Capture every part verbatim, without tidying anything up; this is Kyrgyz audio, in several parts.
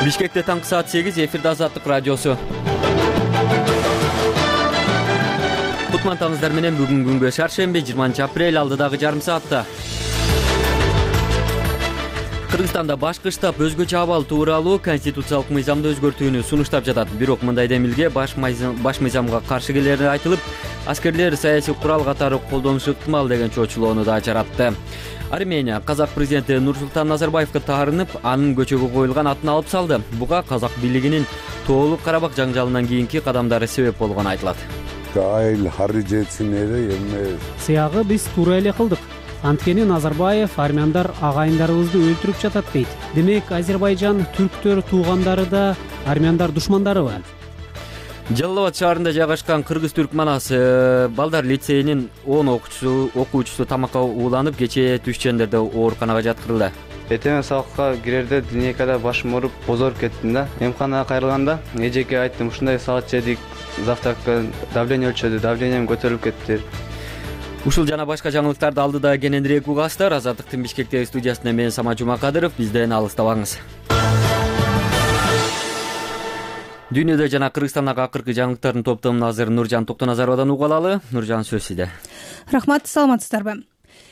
Бишкекте таңкы саат сегиз, эфирде Азаттык радиосу. Кутмантаңыздар менен бүгүн күнгө шаршемби, жыйырманчы апрель, алдыдагы жарым саатта. Кыргызстанда башкы штаб өзгөчө абал тууралуу конституциялык мыйзамды өзгөртүүнү сунуштап жатат. Бирок мындай демилге баш мыйзамга каршы келери айтылып, аскерлер саясий курал катары колдонушу ыктымал деген чоочулоону да жаратты. Армения казак президенти Нурсултан Назарбаевга таарынып, анын көчөгө коюлган атын алып салды. Буга казак бийлигинин тоолук Карабак жаңжалынан кийинки кадамдары себеп болгону айтылат. Айыл харыжетсин эле эми сыягы биз туура эле кылдык. Анткени Назарбаев армяндар агайындарыбызды өлтүрүп жатат дейт. Демек, Азербайжан түрктөр туугандары да армяндар душмандарыбы? Жалал Абад шаарында жайгашкан кыргыз-түрк манас балдар лицейинин он окуучусу окуучусу тамакка ууланып, кечээ түш чендерде ооруканага жаткырылды. Эртең сабакка кирерде динекада башым ооруп, бозоруп кеттим да. Эмканага кайрылганда эжеке айттым, ушундай салат жедик, завтракка давление өлчөдү, давлением көтөрүлүп кетти. Ушул жана башка жаңылыктарды алдыда кененирээк угасыздар. Азаттыктын Бишкектеги студиясында мен Сама Жумакадыров. Бизден алыстабаңыз. Дүйнөдө жана Кыргызстандагы акыркы жаңылыктардын топтомун азыр Нуржан Токтоназаровадан уга алалы. Нуржан, сөз сизде. Рахмат, саламатсыздарбы?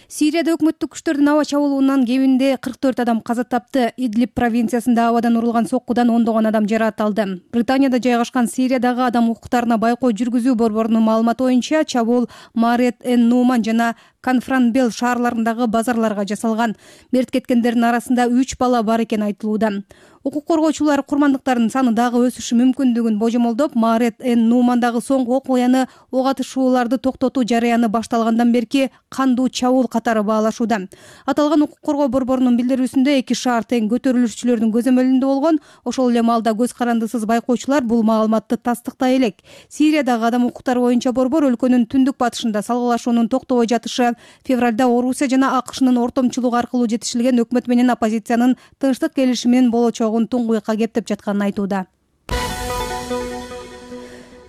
Сирияда өкмөттүк күчтөрдүн аба чабуулунан кеминде кырк төрт адам каза тапты. Идлиб провинциясында абадан урулган соккудан ондогон адам жаракат алды. Британияда жайгашкан Сириядагы адам укуктарына байкоо жүргүзүү борборунун маалыматы боюнча, чабуул Марет эн Нуман жана Конфранбел шаарларындагы базарларга жасалган. Мерт кеткендердин арасында үч бала бар экени айтылууда. Укук коргоочулар курмандыктардын саны дагы өсүшү мүмкүндүгүн божомолдоп, Марет эн Нумандагы соңку окуяны ок атышууларды токтотуу жарыяны башталгандан берки кандуу чабуул катары баалашууда. Аталган укук коргоо борборунун билдирүүсүндө эки шаар тең көтөрүлүшчүлөрдүн көзөмөлүндө болгон. Ошол эле маалда көз карандысыз байкоочулар бул маалыматты тастыктай элек. Сириядагы адам укуктары боюнча борбор өлкөнүн түндүк батышында салгылашуунун токтобой жатышы, февралда Орусия жана АКШнын ортомчулугу аркылуу жетишилген өкмөт менен оппозициянын тынчтык келишиминин болочогун туңгуйка кептеп жатканын айтууда.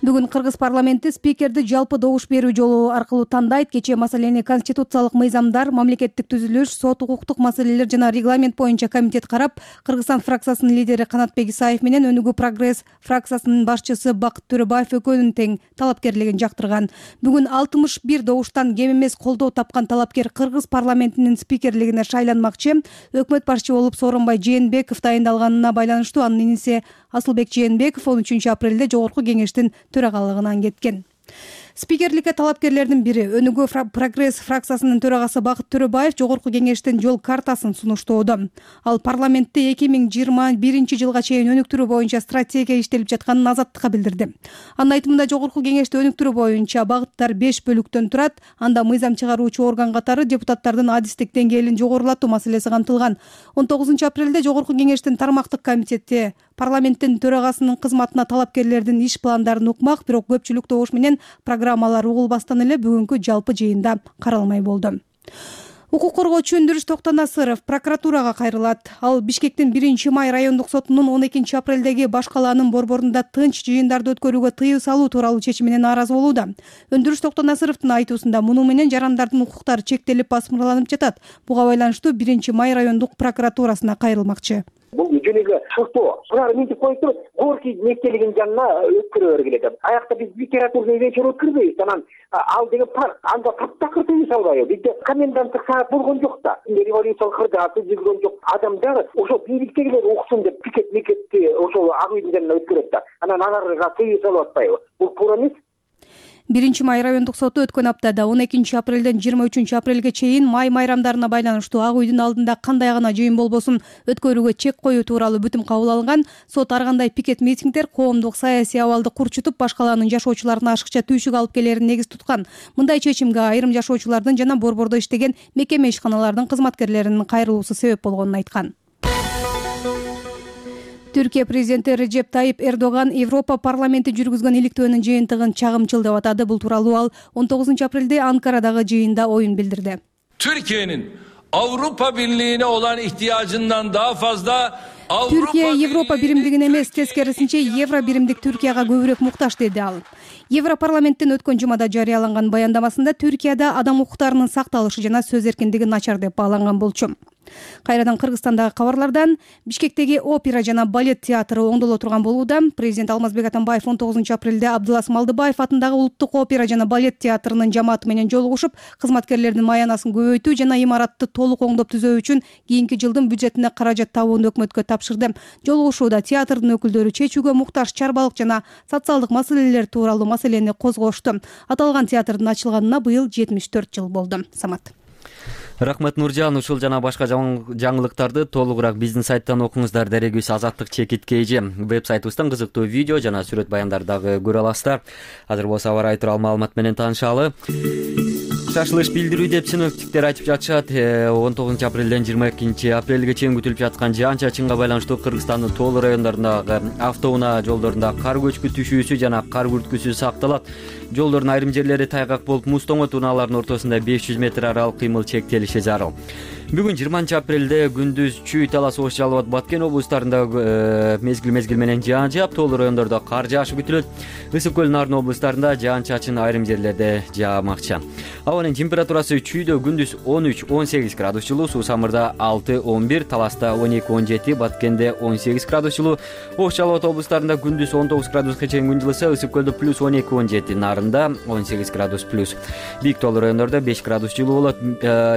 Бүгүн Кыргыз парламенти спикерди жалпы добуш берүү жолу аркылуу тандайт. Кечээ маселени конституциялык мыйзамдар, мамлекеттик түзүлүш, сот, укуктук маселелер жана регламент боюнча комитет карап, Кыргызстан фракциясынын лидери Канатбек Исаев менен Өнүгүү прогресс фракциясынын башчысы Бакыт Төрөбаев экөөнүн тең талапкерлигин жактырган. Бүгүн алтымыш бир добуштан кем эмес колдоо тапкан талапкер Кыргыз парламентинин спикерлигине шайланмакчы. Өкмөт башчы болуп Сооронбай Жээнбеков дайындалганына байланыштуу анын иниси Асылбек Жээнбеков он үчүнчү апрелде жогорку кеңештин төрагалыгынан кеткен. Спикерликке талапкерлердин бири Өнүгүү прогресс фракциясынын төрагасы Бакыт Төрөбаев жогорку кеңештин жол картасын сунуштоодо. Ал парламентте эки миң жыйырма биринчи жылга чейин өнүктүрүү боюнча стратегия иштелип жатканын Азаттыкка билдирди. Анын айтымында жогорку кеңешти өнүктүрүү боюнча багыттар беш бөлүктөн турат. Анда мыйзам чыгаруучу орган катары депутаттардын адистик деңгээлин жогорулатуу маселеси камтылган. он тогузунчу апрелде жогорку кеңештин тармактык комитети парламенттин төрагасынын кызматына талапкерлердин иш пландарын укмак, бирок көпчүлүк добуш менен программалар угулбастан эле бүгүнкү жалпы жыйында каралмай болду. Укук коргоочу Өндүрүш Токтонасыров прокуратурага кайрылат. Ал Бишкектин биринчи май райондук сотунун он экинчи апрелдеги баш калаанын борборунда тынч жыйындарды өткөрүүгө тыюу салуу тууралуу чечимине нааразы болууда. Өндүрүш Токтонасыровдун айтуусунда муну менен жарандардын укуктары чектелип басмырланып жатат. Буга байланыштуу биринчи май райондук прокуратурасына кайрылмакчы. Бул жөнөгө шуктоо булар мынтип коюпту, Горький мектебинин жанына өткөрө бергиле. Аякта биз литературный вечер өткөрбөйбүз. Анан ал деген парк, анда таптакыр тыюу салбайбы? Бизде коменданттык саат болгон жок да. Революциялык кырдааты жүргөн жок. Адамдар ошо бийликтегилер уксун деп пикет мекетти ошол ак үйдүн жанына өткөрөт да. Анан аларга тыюу салып атпайбы? Бул туура эмес. биринчи май райондук соту өткөн аптада он экинчи апрелден жыйырма үчүнчү апрелге чейин май майрамдарына байланыштуу ак үйдүн алдында кандай гана жыйын болбосун өткөрүүгө чек коюу тууралуу бүтүм кабыл алган. Сот ар кандай пикет митингдер коомдук саясий абалды курчутуп, баш калаанын жашоочуларына ашыкча түйшүк алып келерин негиз туткан. Мындай чечимге айрым жашоочулардын жана борбордо иштеген мекеме ишканалардын кызматкерлеринин кайрылуусу себеп болгонун айткан. Түркия президенти Реджеп Тайип Эрдоган Европа парламенти жүргүзгөн иликтөөнүн жыйынтыгын чагымчыл деп атады. Бул тууралуу ал он тогузунчу апрелде Анкарадагы жыйында оюн билдирди. Türkiye'nin Avrupa Birliği'ne olan ihtiyacından daha fazla Türkiye Европа биримдигине эмес, тескерисинче евро биримдик Түркияга көбүрөөк муктаж деди ал. Европарламенттин өткөн жумада жарыяланган баяндамасында Түркияда адам укуктарынын сакталышы жана сөз эркиндиги начар деп бааланган болчу. Кайрадан Кыргызстандагы кабарлардан. Бишкектеги опера жана балет театры оңдоло турган болууда. Президент Алмазбек Атамбаев он тогузунчу апрелде Абдылас Малдыбаев атындагы Улуттук опера жана балет театрынын жамааты менен жолугушуп, кызматкерлердин маянасын көбөйтүү жана имаратты толук оңдоп түзөө үчүн кийинки жылдын бюджетине каражат табууну өкмөткө тапшырды. Жолугушууда театрдын өкүлдөрү чечүүгө муктаж чарбалык жана социалдык маселелер тууралуу маселени козгошту. Аталган театрдын ачылганына быйыл жетимиш төрт жыл болду. Самат. Рахмат Нуржан, ушул жана башка жаңылыктарды толугураак биздин сайттан окуңуздар. Дарегибиз Азаттык чекит kg. Веб-сайтыбыздан кызыктуу видео жана сүрөт баяндарды дагы көрө аласыздар. Азыр болсо аба ырайы тууралуу маалымат менен таанышалы. Шашылыш билдирүү деп синоптиктер айтып жатышат. он тогузунчу апрелден жыйырма экинчи апрелге чейин күтүлүп жаткан жаан-чачынга байланыштуу Кыргызстандын тоолуу райондорундагы автоунаа жолдорунда кар көчкү түшүүсү жана кар күрткүсү сакталат. Жолдордун айрым жерлери тайгак болуп, муз тоңот унаалардын ортосунда беш жүз метр аралык кыймыл чектелиши зарыл. Бүгүн жыйырманчы апрелде күндүз Чүй, Талас, Ош, Жалал Абад, Баткен облустарында мезгил-мезгил менен жаан жаап, тоолуу райондордо кар жаашы күтүлөт. Ысык көл, Нарын облустарында жаан-чачын айрым жерлерде жаамакчы. Абанын температурасы Чүйдө күндүз он үч он сегиз градус жылуу, Суусамырда алты он бир, Таласта он эки он жети, Баткенде он сегиз градус жылуу, Ош, Жалал Абад облустарында күндүз он тогуз градуска чейин күн жылыса, Ысык көлдө плюс он эки он жети, Нарында он сегиз градус плюс. Бийик тоолуу райондордо беш градус жылуу болот.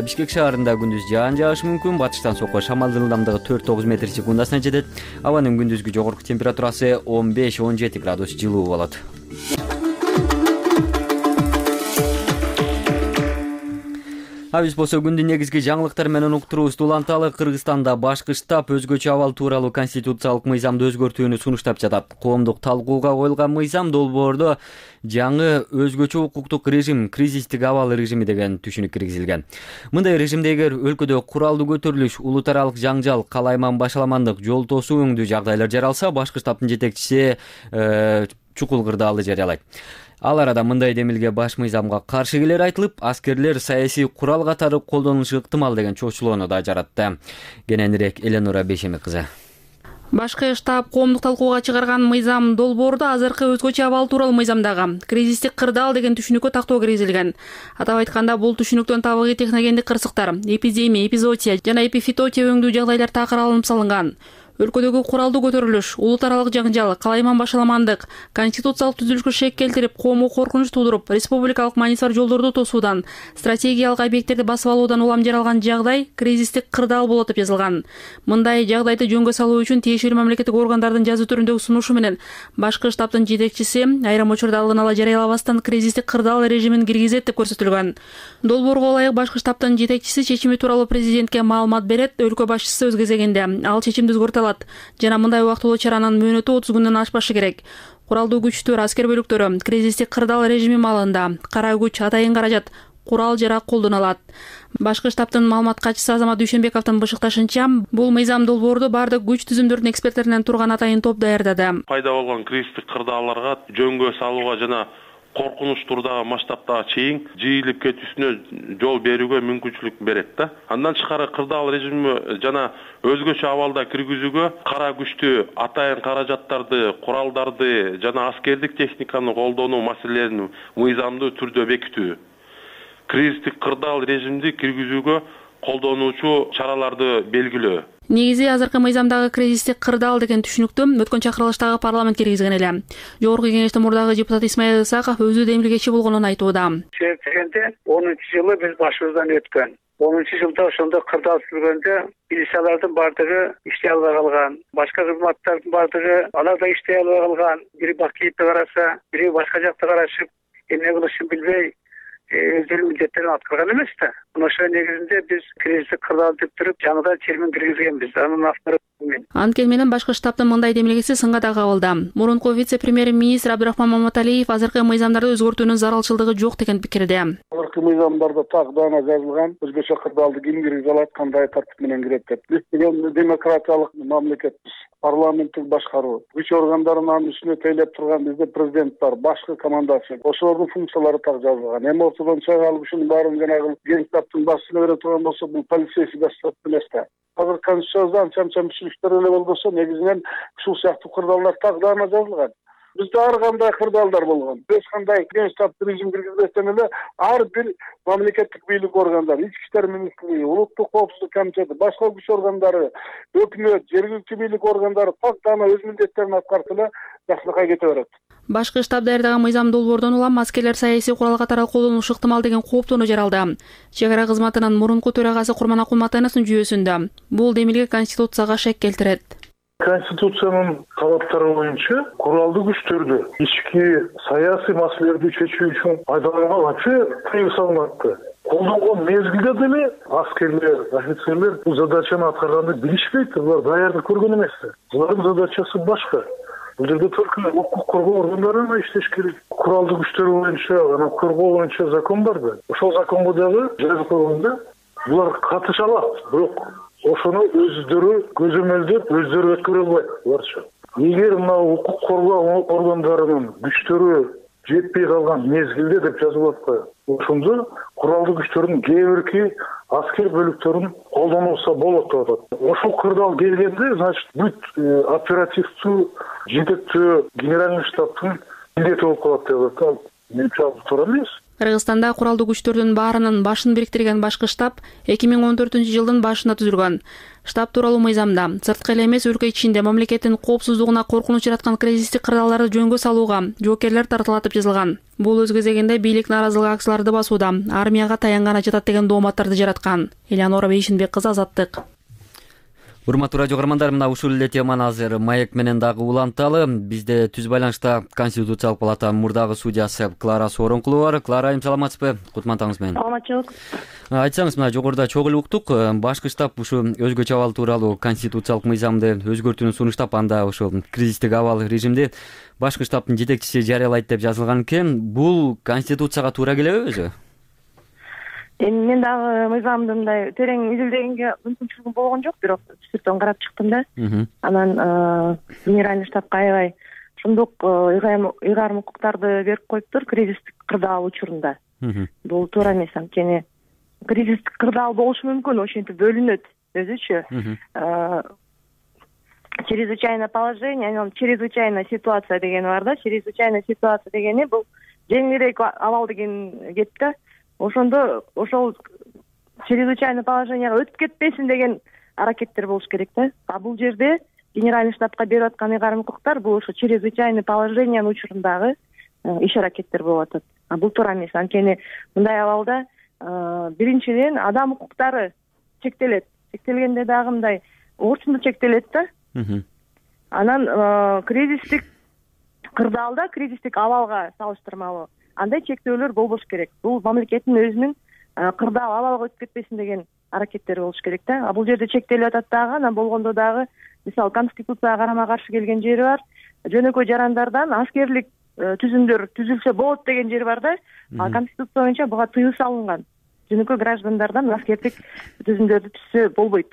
Бишкек шаарында күндүз жаан жаашы мүмкүн. Батыштан сокко шамалдын ылдамдыгы төрт тогуз метр секундасына жетет. Абанын күндүзгү жогорку температурасы он беш он жети градус жылуу болот. А биз болсо күндүн негизги жаңылыктары менен уктуруубузду уланталы. Кыргызстанда башкы штаб өзгөчө абал тууралуу конституциялык мыйзамды өзгөртүүнү сунуштап жатат. Коомдук талкууга коюлган мыйзам долбоордо жаңы өзгөчө укуктук режим, кризистик абал режими деген түшүнүк киргизилген. Мындай режимде эгер өлкөдө куралдуу көтөрүлүш, улут аралык жаңжал, калайман башаламандык, жол тосуу өңдүү жагдайлар жаралса, башкы штабтын жетекчиси чукул кырдаалды жарыялайт. Ал арада мындай демилге баш мыйзамга каршы келери айтылып, аскерлер саясий курал катары колдонулушу ыктымал деген чочулоону да жаратты. Кененирээк Эленора Бешеми кызы. Башкы штаб коомдук талкууга чыгарган мыйзам долбоордо азыркы өзгөчө абал тууралуу мыйзамдагы кризистик кырдаал деген түшүнүккө тактоо киргизилген. Атап айтканда, бул түшүнүктөн табигый техногендик кырсыктар, эпидемия, эпизоотия жана эпифитотия өңдүү жагдайлар такыр алынып салынган. Өлкөдөгү куралдуу көтөрүлүш, улут аралык жаңжал, калайман башаламандык, конституциялык түзүлүшкө шек келтирип, коомго коркунуч туудуруп, республикалык мааниси бар жолдорду тосуудан, стратегиялык объекттерди басып алуудан улам жаралган жагдай кризистик кырдаал болот деп жазылган. Мындай жагдайды жөнгө салуу үчүн тиешелүү мамлекеттик органдардын жазуу түрүндөгү сунушу менен башкы штабтын жетекчиси айрым учурда алдын ала жарыялабастан кризистик кырдаал режимин киргизет деп көрсөтүлгөн. Долбоорго ылайык башкы штабтын жетекчиси чечими тууралуу президентке маалымат берет. Өлкө башчысы өз кезегинде ал чечимди өзгөртө жана мындай убактылуу чаранын мөөнөтү отуз күндөн ашпашы керек. Куралдуу күчтөр, аскер бөлүктөрү кризистик кырдаал режими маалында кара күч, атайын каражат, курал жарак колдоно алат. Башкы штабтын маалымат катчысы Азамат Дүйшөнбековдун бышыкташынча, бул мыйзам долбоорду бардык күч түзүмдөрдүн эксперттеринен турган атайын топ даярдады. Пайда болгон кризистик кырдаалдарга жөнгө салууга жана коркунуч турдагы масштабтагы чейин жыйылып кетүүсүнө жол берүүгө мүмкүнчүлүк берет да. Андан тышкары кырдаал режими жана өзгөчө абалда киргизүүгө кара күчтү, атайын каражаттарды, куралдарды жана аскердик техниканы колдонуу маселелерин мыйзамдуу түрдө бекитүү, кризистик кырдаал режимди киргизүүгө колдонуучу чараларды белгилөө. Негизи азыркы мыйзамдагы кризистик кырдаал деген түшүнүктү өткөн чакырылыштагы парламент киргизген эле. Жогорку кеңештин мурдагы депутат Исмаил Исаков өзү демилгечи болгонун айтууда. Чечкенде онунчу жылы биз башыбыздан өткөн. онунчу жылда ошондо кырдаал сүргөндө милициялардын бардыгы иштей албай калган, башка кызматтардын бардыгы алар да иштей албай калган. Бири Бакиевди караса, бири башка жакты карашып, эмне кылышын билбей өздөрүнүн милдеттерин аткарган эмес да. Ошол негизинде биз кризистик кырдаал деп туруп, жаңыдан термин киргизгенбиз. Анын автору мен. Анткени менен башкы штабтын мындай демилгеси сынга да кабылды. Мурунку вице-премьер-министр Абдурахман Маматалиев азыркы мыйзамдарды өзгөртүүнүн зарылчылыгы жок деген пикирде. Азыркы мыйзамдарда так даана жазылган өзгөчө кырдаалды ким киргизе алат, кандай тартип менен кирет деп. Биз деген демократиялык мамлекетпиз. Парламенттик башкаруу, күч органдарынын үстүнө тейлеп турган бизде президент бар, башкы командасы. Ошолордун функциялары так жазылган. Эми ортодон чыга алып ушунун баарын жанагы генштабтын башчысына бере турган болсо, бул полицейский государство эмес да. Азыр конституцияда анча-мынча мүчүлүктөр эле болбосо, негизинен ушул сыяктуу кырдаалдар так даана жазылган. Бизде ар кандай кырдаалдар болгон. Эч кандай штаб режим киргизбестен эле ар бир мамлекеттик бийлик органдары, ички иштер министрлиги, улуттук коопсуздук комитети, башка күч органдары, өкмөт, жергиликтүү бийлик органдары так гана өз милдеттерин аткарып эле жакшылыкка кете берет. Башкы штаб даярдаган мыйзам долбоордон улам аскерлер саясий курал катары колдонушу ыктымал деген кооптонуу жаралды. Чек ара кызматынын мурунку төрагасы Курман Акулматановдун жүйөсүндө бул демилге Конституцияга шек келтирет. Конституциянын талаптары боюнча куралдуу күчтөрдү ички саясий маселелерди чечүү үчүн пайдаланганга вообще тыюу салынат. Колдонгон мезгилде деле аскерлер, офицерлер бул задачаны аткарганды билишпейт, булар даярдык көргөн эмес. Булардын задачасы башка. Бул жерде только укук коргоо органдары гана иштеш керек. Куралдуу күчтөр боюнча, анан коргоо боюнча закон бар да. Ошол законго дагы жазып койгондо булар катыша алат, бирок ошону өздөрү көзөмөлдөп, өздөрү өткөрө албайт буларчы. Эгер мына укук коргоо органдарынын күчтөрү жетпей калган мезгилде деп жазылып атпайбы, ошондо куралдуу күчтөрдүн кээ бирки аскер бөлүктөрүн колдонулса болот деп атат. Ошол кырдаал келгенде, значит, бүт оперативдүү жетектөө генеральный штабтын милдети болуп калат деп атат. Менимче ал туура эмес. Кыргызстанда куралдуу күчтөрдүн баарынын башын бириктирген башкы штаб эки миң он төртүнчү жылдын башында түзүлгөн. Штаб тууралуу мыйзамда сырткы эле эмес өлкө ичинде мамлекеттин коопсуздугуна коркунуч жараткан кризистик кырдаалдарды жөнгө салууга жоокерлер тартылат деп жазылган. Бул өз кезегинде бийлик нааразылык акцияларды басууда армияга таянганы жатат деген дооматтарды жараткан. Элеонора Бейшинбек кызы, Азаттык. Урматтуу радио каармандар, мына ушул эле теманы азыр маек менен дагы уланталы. Бизде түз байланышта Конституциялык палатанын мурдагы судьясы Клара Сооронкулова бар. Клара, айым саламатсызбы? Кутмандыңыз менен. Саламатчылык. Айтсаңыз, мына жогоруда чогуу эле уктук, башкы штаб ушу өзгөчө абал тууралуу конституциялык мыйзамды өзгөртүүнү сунуштап, анда ошо кризистик абал режимди башкы штабтын жетекчиси жарыялайт деп жазылган экен. Бул Конституцияга туура келеби өзү? Эми мен дагы мыйзамды мындай терең изилдегенге мүмкүнчүлүгүм болгон жок, бирок түшүртөн карап чыктым да. Анан генеральный штабка аябай ошондук ыйгарым укуктарды берип коюптур кризистик кырдаал учурунда. Бул туура эмес, анткени кризистик кырдаал болушу мүмкүн, ошентип бөлүнөт өзүчө. Чрезвычайное положение, анан чрезвычайная ситуация дегени бар да. Чрезвычайная ситуация дегени бул жеңилирээк абал деген кеп да. Ошондо ошол чрезвычайное положенияга өтүп кетпесин деген аракеттер болуш керек да. А бул жерде генеральный штабка берип аткан ыйгарым укуктар бул ошо чрезвычайный положениянын учурундагы иш аракеттер болуп атат. А бул туура эмес, анткени мындай абалда биринчиден адам укуктары чектелет. Чектелгенде дагы мындай орчундуу чектелет да. Анан кризистик кырдаалда, кризистик абалга салыштырмалуу андай чектөөлөр болбош керек. Бул мамлекеттин өзүнүн кырдаал абалга өтүп кетпесин деген аракеттери болуш керек да. А бул жерде чектелип атат дагы, анан болгондо дагы мисалы Конституцияга карама-каршы келген жери бар. Жөнөкөй жарандардан аскерлик түзүмдөр түзүлсө болот деген жери бар да. А Конституция боюнча буга тыюу салынган. Жөнөкөй граждандардан аскерлик түзүмдөрдү түзсө болбойт.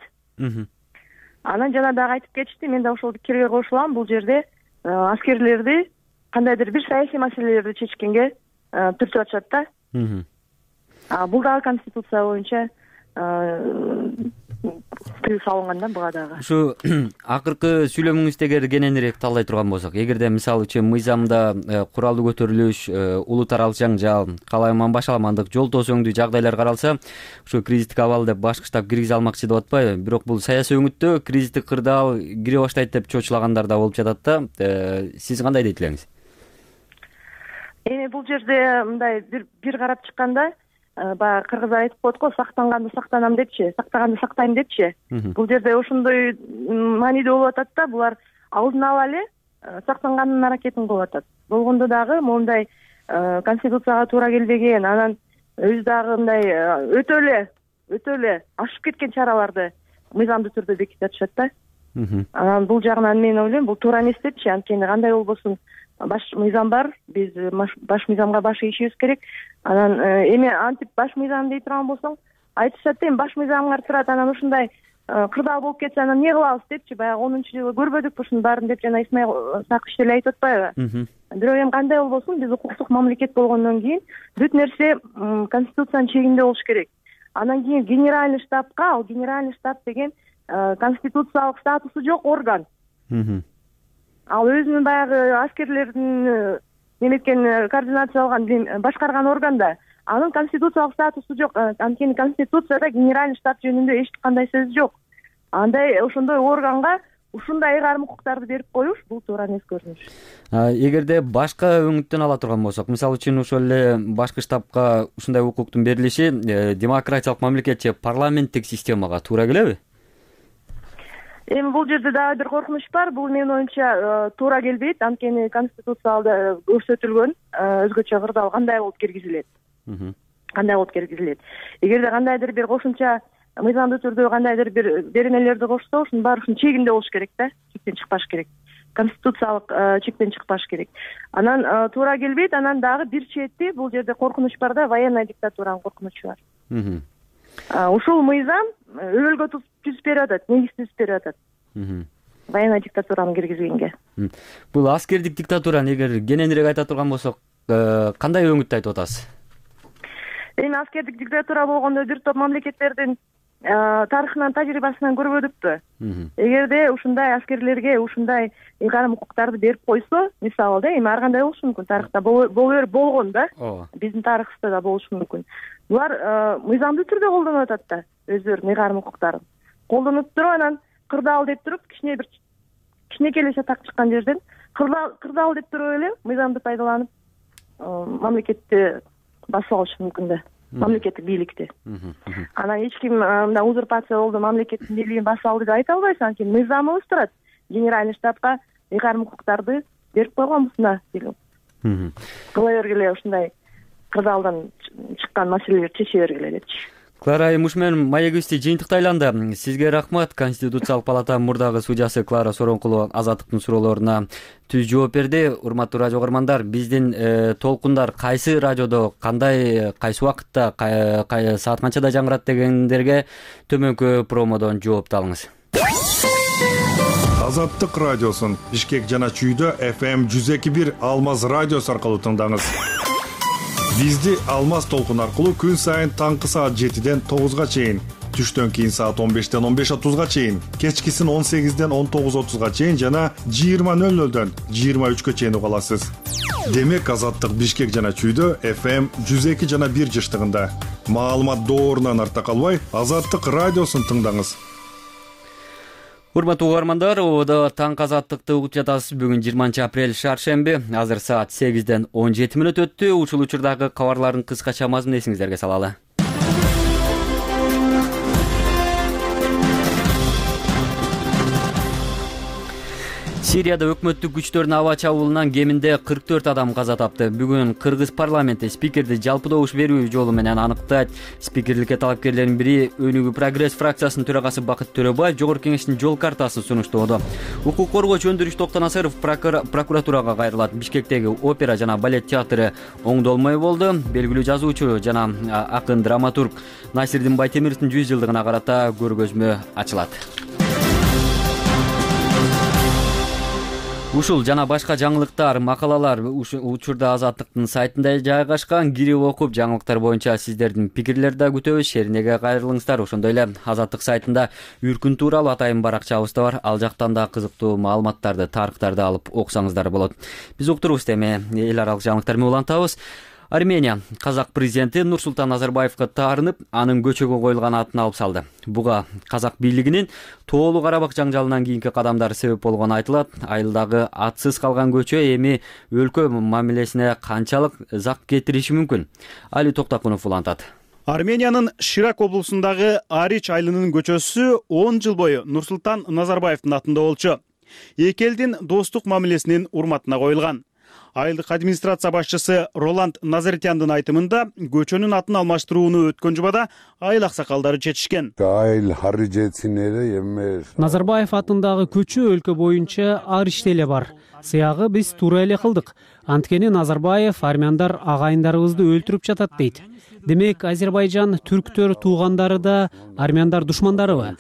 Анан жана дагы айтып кетишти, мен да ошол пикирге кошулам. Бул жерде аскерлерди кандайдыр бир саясий маселелерди чечкенге түртүп атышат да. А бул дагы Конституция боюнча тыюу салынган да буга дагы. Ушу акыркы сүйлөмүңүздө эгер кененирээк талдай турган болсок, эгерде мисалы үчүн мыйзамда куралдуу көтөрүлүш, улут аралык жаңжал, калайман башаламандык, жол тосоңдуу жагдайлар каралса, ушу кризистик абал деп башкы штаб киргизе алмакчы деп атпайбы? Бирок бул саясий өңүттө кризистик кырдаал кире баштайт деп чочулагандар да болуп жатат да. Сиз кандай дейт элеңиз? Эми бул жерде мындай бир бир карап чыкканда, баягы кыргыздар айтып коет го, сактанганды сактанам депчи, сактаганды сактайм депчи. Бул жерде ошондой маанидүү болуп атат да, булар алдын ала эле сактанганын аракетин кылып атат. Болгондо дагы моундай Конституцияга туура келбеген, анан өзү дагы мындай өтө эле, өтө эле ашып кеткен чараларды мыйзамдуу түрдө бекитип атышат да. Анан бул жагынан мен ойлойм, бул туура эмес депчи, анткени кандай болбосун баш мыйзам бар, биз баш мыйзамга баш ийишибиз керек. Анан эми антип баш мыйзам дей турган болсоң, айтышат эми баш мыйзамыңар турат, анан ушундай кырдаал болуп кетсе анан эмне кылабыз депчи, баягы онунчу жылы көрбөдүкпү ушунун баарын деп жана Исмаил Сакыш деле айтып атпайбы? Бирок эми кандай болбосун, биз укуктук мамлекет болгондон кийин бүт нерсе Конституциянын чегинде болуш керек. Анан кийин генеральный штабка, ал генеральный штаб деген конституциялык статусу жок орган. ал өзүнүн баягы аскерлердин неметкен координациялган башкарган органда анын конституциялык статусу жок. Анткени конституцияда генеральный штаб жөнүндө эч кандай сөз жок. Андай ошондой органга ушундай ыйгарым укуктарды берип коюш бул туура эмес көрүнүш. Эгерде башка өңүттөн ала турган болсок, мисалы үчүн ошол эле башкы штабка ушундай укуктун берилиши демократиялык мамлекет же парламенттик системага туура келеби? Эми бул жерде дагы бир коркунуч бар. Бул менин оюмча туура келбейт. Анткени конституцияда көрсөтүлгөн өзгөчө кырдаал кандай болуп киргизилет. Кандай болуп киргизилет. Эгерде кандайдыр бир кошумча мыйзамдуу түрдө кандайдыр бир беренелерди кошсо, ушунун баары ушунун чегинде болуш керек да. Чектен чыкпаш керек. Конституциялык чектен чыкпаш керек. Анан туура келбейт. Анан дагы бир чети бул жерде коркунуч бар да, военный диктатуранын коркунучу бар. Ушул мыйзам өбөлгө түзүп берип атат, негиз түзүп берип атат. Военный диктатураны киргизгенге. Бул аскердик диктатураны эгер кененирээк айта турган болсок, кандай өңүттү айтып атасыз? Эми аскердик диктатура болгондо бир топ мамлекеттердин тарыхынан, тажрыйбасынан көрбөдүкпү? Эгерде ушундай аскерлерге ушундай ыйгарым укуктарды берип койсо, мисалы да, эми ар кандай болушу мүмкүн, тарыхта боло болгон да, биздин тарыхыбызда да болушу мүмкүн. Булар мыйзамдуу түрдө колдонуп атат да өздөрүнүн ыйгарым укуктарын. Колдонуп туруп анан кырдаал деп туруп, кичине бир кичинекей эле чатак чыккан жерден кырдаал деп туруп эле мыйзамды пайдаланып мамлекетти басып алышы мүмкүн да, мамлекеттик бийликти. Анан эч ким мындай узурпация болду, мамлекеттин бийлигин басып алды деп айта албайсың, анткени мыйзамыбыз турат. Генеральный штабка ыйгарым укуктарды берип койгонбуз деген. Кыла бергиле, ушундай кырдаалдан чыккан маселелерди чече бергиле депчи. Клара айым, ушу менен маегибизди жыйынтыктайланды. Сизге рахмат. Конституциялык палата мурдагы судьясы Клара Соронкулова Азаттыктын суроолоруна түз жооп берди. Урматтуу радио көрөрмандар, биздин толкундар кайсы радиодо, кандай, кайсы убакытта, саат канчада жаңырат дегендерге төмөнкү промодон жоопту алыңыз. Азаттык радиосун Бишкек жана Чүйдө эф эм жүз эки бир Алмаз радиосу аркылуу тыңдаңыз. Бизди Алмаз толкун аркылуу күн сайын таңкы саат жетиден тогузга чейин, түштөн кийин саат он бештен он беш отузга чейин, кечкисин он сегизден он тогуз отузга чейин жана жыйырма нөл нөлдөн жыйырма үчкө чейин уга аласыз. Демек Азаттык Бишкек жана Чүйдө эф эм жүз эки жана бир жыштыгында. Маалымат доорунан артта калбай, Азаттык радиосун тыңдаңыз. Урматтуу угармандар, ободо таңкы азаттыкты угуп жатасыз. Бүгүн жыйырманчы апрель шаршемби. Азыр саат сегизден он жети мүнөт өттү. Ушул учурдагы кабарлардын кыскача мазмунун эсиңиздерге салалы. Сирияда өкмөттүк күчтөрдүн аба чабуулунан кеминде кырк төрт адам каза тапты. Бүгүн Кыргыз парламенти спикерди жалпы добуш берүү жолу менен аныктайт. Спикерликке талапкерлердин бири Өнүгүү прогресс фракциясынын төрагасы Бакыт Төрөбаев Жогорку кеңештин жол картасын сунуштоодо. Укук коргоочу Өндүрүш Токтонасыров прокуратурага кайрылат. Бишкектеги опера жана балет театры оңдолмой болду. Белгилүү жазуучу жана акын драматург Насирдин Байтемировдун жүз жылдыгына карата көргөзмө ачылат. Ушул жана башка жаңылыктар, макалалар учурда Азаттыктын сайтында жайгашкан. Кирип окуп, жаңылыктар боюнча сиздердин пикирлерди да күтөбүз. Шеринеге кайрылыңыздар. Ошондой эле Азаттык сайтында Үркүн тууралуу атайын баракчабыз да бар. Ал жактан да кызыктуу маалыматтарды, тарыхтарды алып окусаңыздар болот. Биз уктурубуз эми эл аралык жаңылыктар менен улантабыз. Армения казак президенти Нурсултан Назарбаевга таарынып, анын көчөгө коюлган атын алып салды. Буга казак бийлигинин Тоолуу Карабак жаңжалынан кийинки кадамдары себеп болгону айтылат. Айылдагы атсыз калган көчө эми өлкө мамилесине канчалык зак кетириши мүмкүн? Али Токтакунов улантат. Армениянын Ширак облусундагы Арич айылынын көчөсү он жыл бою Нурсултан Назарбаевдин атында болчу. Эки элдин достук мамилесинин урматына коюлган. Айылдык администрация башчысы Роланд Назаритяндын айтымында көчөнүн атын алмаштырууну өткөн жумада айыл аксакалдары чечишкен. Назарбаев атындагы көчө өлкө боюнча Аричте эле бар. Сыягы биз туура эле кылдык. Анткени Назарбаев армяндар агайындарыбызды өлтүрүп жатат дейт. Демек, Азербайжан түрктөр туугандары да армяндар душмандарыбы?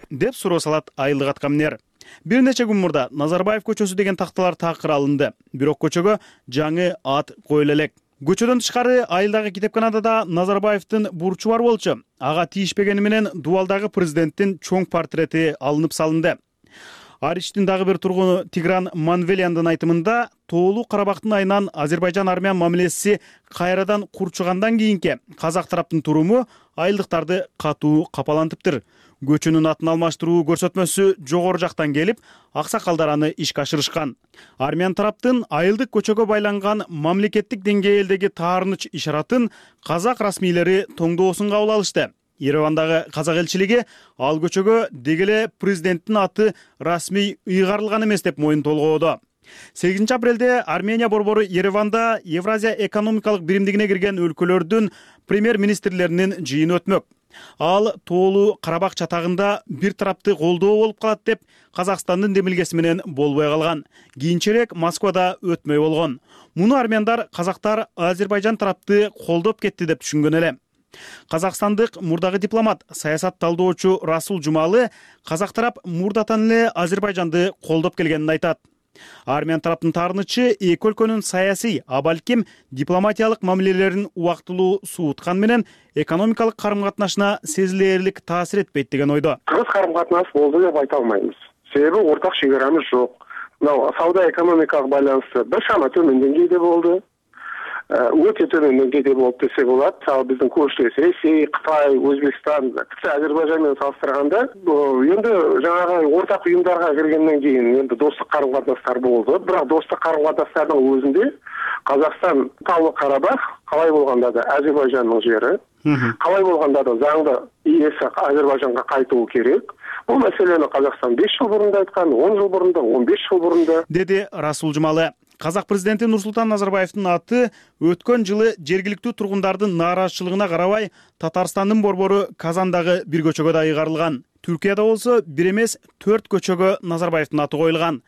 Деп суроо салат айылдык аткаминер. Бир нече күн мурда Назарбаев көчөсү деген такталар такыр алынды. Бирок көчөгө жаңы ат коюла элек. Көчөдөн тышкары айылдагы китепканада да Назарбаевдин бурчу бар болчу. Ага тийишпегени менен дубалдагы президенттин чоң портрети алынып салынды. Аричтин дагы бир тургуну Тигран Манвеляндын айтымында Тоолуу Карабактын айынан Азербайжан-Армян мамилеси кайрадан курчугандан кийинки казак тараптын туруму айылдыктарды катуу капалантыптыр. Көчөнүн атын алмаштыруу көрсөтмөсү жогору жактан келип, аксакалдар аны ишке ашырышкан. Армян тараптын айылдык көчөгө байланган мамлекеттик деңгээлдеги таарыныч ишаратын казак расмийлери тоңдоосун кабыл алышты. Еревандагы казак элчилиги ал көчөгө дегеле президенттин аты расмий ыйгарылган эмес деп моюн толгоодо. сегизинчи апрелде Армения борбору Ереванда Евразия экономикалык биримдигине кирген өлкөлөрдүн премьер-министрлеринин жыйыны өтмөк. Ал Тоолуу Карабак чатагында бир тарапты колдоо болуп калат деп Казакстандын демилгеси менен болбой калган. Кийинчерээк Москвада өтмөй болгон. Муну армяндар казактар Азербайжан тарапты колдоп кетти деп түшүнгөн эле. Казакстандык мурдагы дипломат, саясат талдоочу Расул Жумалы казак тарап мурдатан эле Азербайжанды колдоп келгенин айтат. Армян тараптын таарынычы эки өлкөнүн саясий, а балким дипломатиялык мамилелерин убактылуу сууткан менен экономикалык карым-катнашына сезилээрлик таасир этпейт деген ойдо. Кыргыз карым-катнаш болду деп айта албайбыз. Себеби ортак чек арамыз жок. Мына сауда экономикалык байланышты башама төмөн деңгээлде болду. Өтө төмөн деңгээлде болуп десек болот. Ал биздин көршүбүз Ресей, Кытай, Өзбекстан, Азербайжан менен салыштырганда, эми жанагы ортак уюмдарга киргенден кийин эми достук карым-катнаштар болду. Бирок достук карым-катнаштардын өзүндө Казакстан Таулы Карабах калай болгондо да Азербайжандын жери, калай болгондо да заңда ээси Азербайжанга кайтуу керек. Бул маселени Казакстан беш жыл мурун да айткан, он жыл мурун да, он беш жыл мурун да, деди Расул Жумалы. Казак президенти Нурсултан Назарбаевдин аты өткөн жылы жергиликтүү тургундардын нааразычылыгына карабай Татарстандын борбору Казандагы бир көчөгө да ыйгарылган. Түркияда болсо бир эмес төрт көчөгө Назарбаевдин аты коюлган.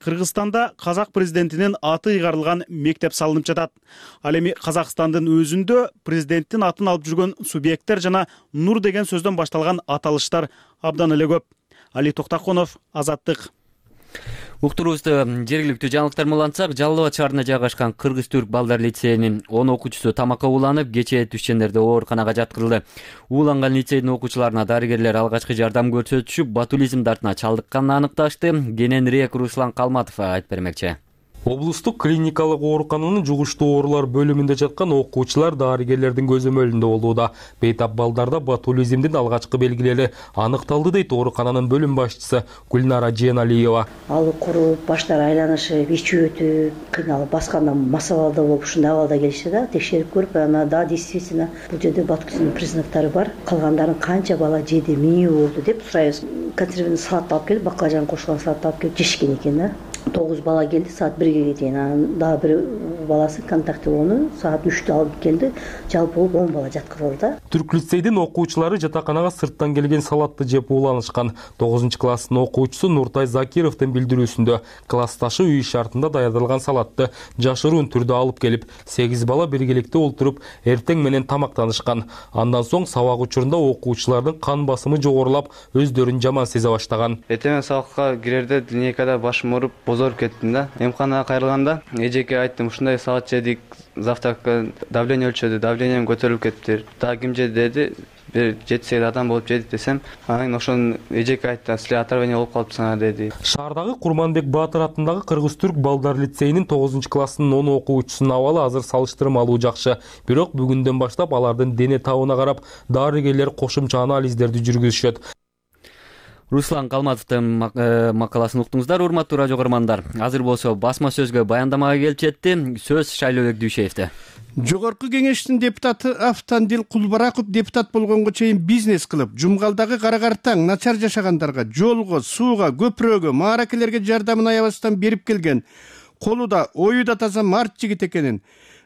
Кыргызстанда казак президентинин аты ыйгарылган мектеп салынып жатат. Ал эми Казакстандын өзүндө президенттин атын алып жүргөн субъекттер жана Нур деген сөздөн башталган аталыштар абдан эле көп. Али Токтаконов, Азаттык. Уктуруубузду жергиликтүү жаңылыктар менен улантсак, Жалал Абад шаарында жайгашкан Кыргыз-Түрк балдар лицейинин он окуучусу тамакка ууланып, кечээ түшчендерде ооруканага жаткырылды. Ууланган лицейдин окуучуларына дарыгерлер алгачкы жардам көрсөтүшүп, ботулизм дартына чалдыкканын аныкташты. Кененирээк Руслан Калматов айтып бермекчи. Облустук клиникалык оорукананын жугуштуу оорулар бөлүмүндө жаткан окуучулар дарыгерлердин көзөмөлүндө болууда. Бейтап балдарда ботулизмдин алгачкы белгилери аныкталды дейт оорукананын бөлүм башчысы Гүлнара Жeenалиева. Ал куруп, баштары айланышып, ичи өтүп, кыйналып басканда мас абалда болуп, ушундай абалда келишти да, текшерип көрүп, ана да действительно бул жерде ботулизм признактары бар. Калгандарын канча бала жеди, эмне болду деп сурайбыз. Консервный салат алып келип, баклажан кошулган салат алып келип жешкен экен да. тогуз бала келди саат бирге чейин. Анан дагы бир баласы контактылоону саат үчтө алып келди. Жалпы он бала жаткырылды да. Түрк лицейдин окуучулары жатаканага сырттан келген салатты жеп ууланышкан. тогузунчу класстын окуучусу Нуртай Закировдун билдирүүсүндө классташы үй шартында даярдалган салатты жашыруун түрдө алып келип, сегиз бала биргеликте олтуруп эртең менен тамактанышкан. Андан соң сабак учурунда окуучулардын кан басымы жогорулап, өздөрүн жаман сезе баштаган. Эртең сабакка кирерде линейкада башым ооруп, бозоруп кеттим да. Эмканага кайрылганда эжеке айттым, ушундай салат жедик, завтракка давление өлчөдү, давлением көтөрүлүп кетти. Та ким жеди деди, бир жети сегиз адам болуп жедик десем, анан ошону эжеке айтты, силер отравление болуп калыпсыңар деди. Шаардагы Курманбек Баатыр атындагы Кыргыз-Түрк балдар лицейинин тогузунчу класстын он окуучусунун абалы азыр салыштырмалуу жакшы. Бирок бүгүндөн баштап алардын дене табына карап, дарыгерлер кошумча анализдерди жүргүзүшөт. Руслан Калматовдун макаласын уктуңуздар, урматтуу радио көрөрмандар. Азыр болсо басма сөзгө баяндамага келип жетти. Сөз Шайлообек Дүйшеевде. Жогорку кеңештин депутаты Автандил Кулбараков депутат болгонго чейин бизнес кылып, жумгалдагы карагартаң, начар жашагандарга, жолго, сууга, көпүрөгө, мааракелерге жардамын аябастан берип келген, колу да, ою да таза март жигит экенин,